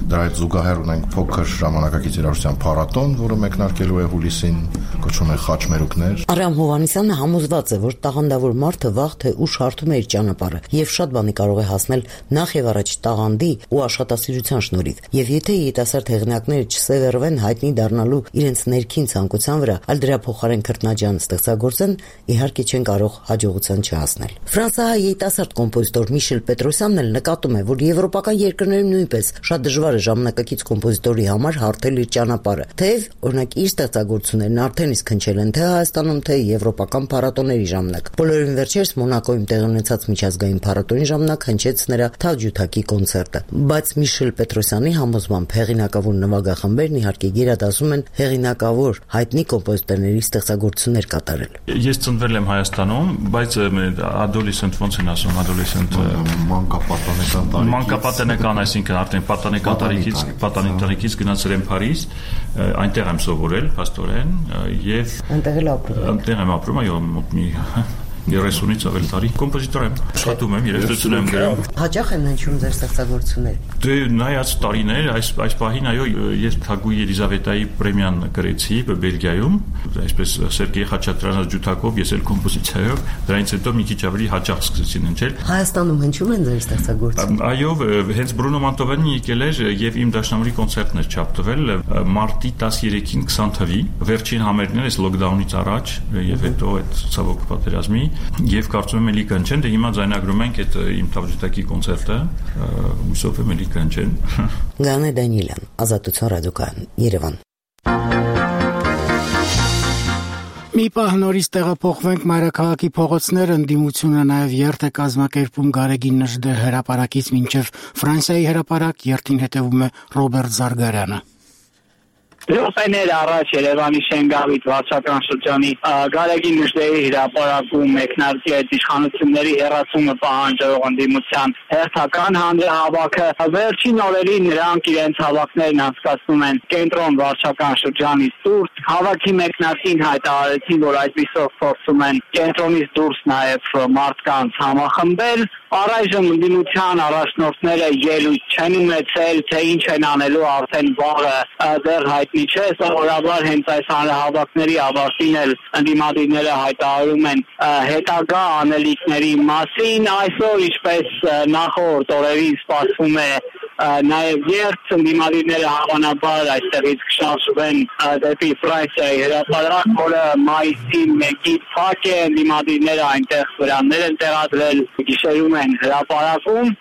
դրա հետ զուգահեռ ունենք փոքր ժամանակակից երաժշտության փառատոն, որը մեկնարկելու է հուլիսին, կոչվում է Խաչմերուկներ։ Արամ Հովհաննիսյանը համոզված է, որ տաղանդավոր մարդը վաղ թե ուշ հարթում է իր ճանապարհը եւ շատ բանի կարող է հասնել նախ եւ առաջ տաղանդի ու աշխատասիրության շնորհիվ։ Եվ եթե երիտասարդ հեղինակները չսևեռվեն հայտնի դառնալու իրենց ներքին ցանկության վրա, այլ դրա փոխարեն քրտնաջան ստեղծագործեն, իհարկե չեն կարող հաջողության չհասնել։ Ֆրանսիայի երիտասարդ կոմպոզիտոր Միշել Պետրոսյանն էլ նկատում է, որ եվրոպական երկրներում նույնպես շատ դժվար է ժամանակակից կոմպոզիտորի համար հարթել իր ճանապարհը, թեև օրինակ իր ստեղծագործություններն արդեն իսկ հնչել են թե Հայաստանում, թե եվրոպական փառատոների ժամանակ։ Բոլորին վերջերս Մոնակոյում տեղի ունեցած միջազգային փառատոնի ժամանակ հնչեց նրա Թավջութակի կոնցերտը։ Բայց Միշել Պետրոսյանի համոզմամբ հեղինակավոր նվագախմբերն իհարկե գերադասում են հեղինակավոր հայտնի կոմպոզիտորների ստեղծագործություններ կատարել։ Ես ծնվել եմ Հայաստանում, բայց adolescent ոնց են ասում, adolescent մանկապատանեկան, այսինքն արդեն պատանեկան գնացել եմ Փարիզ, այնտեղ եմ սովորել փաստորեն եւ այնտեղ եմ ապրում, այո, մոտ մի 30-ից ավել տարի կոմպոզիտոր եմ, աշխատում եմ, երաժշտություն եմ գրում։ Հաճախ են հնչում ձեր ստեղծագործությունները։ Դե նայած տարիներ, այս պահին այո, ես Թագուհի Ելիզավետայի պրեմիան գրեցի Բելգիայում, այսպես Սերգեյ Խաչատրյանի ջութակով, ես էլ կոմպոզիցիայով, դրանից հետո մի քիչ ավելի հաճախ սկսեցին հնչել։ Հայաստանում հնչում են ձեր ստեղծագործությունները։ Այո, հենց Բրունո Մանտովյանը եկել էր եւ իմ դաշնամուրի կոնցերտն էր չափտվել մարտի 13-ին 20 թվի, վերջին համերգն էր լոկդաունից առաջ եւ հետո այդ ցավոք պատերազմի եւ կարծում եմ էլի կանչեն, դե հիմա ձայնագրում ենք այդ իմ Թավջութակի կոնցերտը, հուսով եմ էլի կանչեն։ Գանե Դանիելյան, Ազատություն ռադիոկայան, Երևան։ Մի պահ նորից տեղափոխվենք մայրաքաղաքի փողոցներ, ընդդիմությունը նաև երթ է կազմակերպում Գարեգին Նժդե հրապարակից մինչև Ֆրանսիայի հրապարակ, երթին հետևում է Ռոբերտ Զարգարյանը։ Րոպեներ առաջ Երևանի Շենգավիթ վարչական շրջանի Գարեգին Նժդեի հրապարակում մեկնարկի այդ իշխանությունների հեռացումը պահանջող ընդդիմության հերթական հանրահավաքը վերջին օրերին նրանք իրենց հավաքներն անցկացնում են կենտրոն վարչական շրջանից դուրս։ Հավաքի մեկնարկին հայտարարեցին, որ այսպիսով փորձում են կենտրոնից դուրս նաև մարդկանց համախմբել։ Առայժմ ընդդիմության առաջնորդները ելույթ չեն ունեցել, թե ինչ են անելու արդեն վաղը դեռ հայտնի չէ, սովորաբար հենց այս հանրահավաքների ավարտին էլ ընդդիմադիրները հայտարարում են հետագա անելիքների մասին, այսօր ինչպես նախորդ օրերին սպասվում է նաև երթ ընդդիմադիրները հավանաբար այստեղից կշարժվեն դեպի Ֆրանսիայի հրապարակ, որը մայիսի 1-ի փակ է, ընդդիմադիրները այնտեղ վրաններ են տեղադրել, գիշերում են հրապարակում։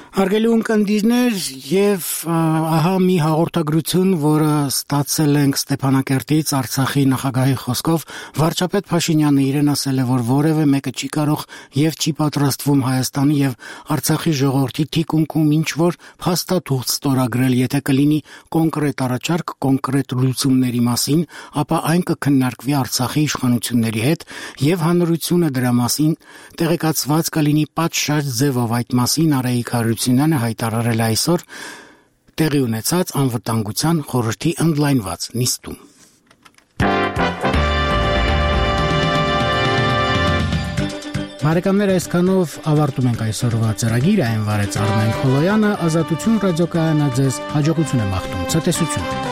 Հարգելի ունկնդիրներ, եւ ահա մի հաղորդագրություն, որը ստացել ենք Ստեփանակերտից Արցախի նախագահի խոսքով, վարչապետ Փաշինյանը իրեն ասել է, որ որևէ մեկը չի կարող եւ չի պատրաստվում Հայաստանի եւ Արցախի ժողովրդի թիկունքում ինչ որ փաստաթուղթ ստորագրել, եթե կլինի կոնկրետ առաջարկ, կոնկրետ լուծումների մասին, ապա այն կքննարկվի Արցախի իշխանությունների հետ եւ հանրությունը դրա մասին տեղեկացված կլինի պատշաճ ձևով այդ մասին Արայիկ Հարությունյանը հայտարարել այսօր տեղի ունեցած անվտանգության խորհրդի ընդլայնված նիստում։ Բարեկամներ, այսքանով ավարտում ենք այսօրվա ծրագիրը, այն վարեց Արմեն Խոլոյանը, Ազատություն ռադիոկայանը ձեզ հաջողություն եմ աղթում, ցտեսություն։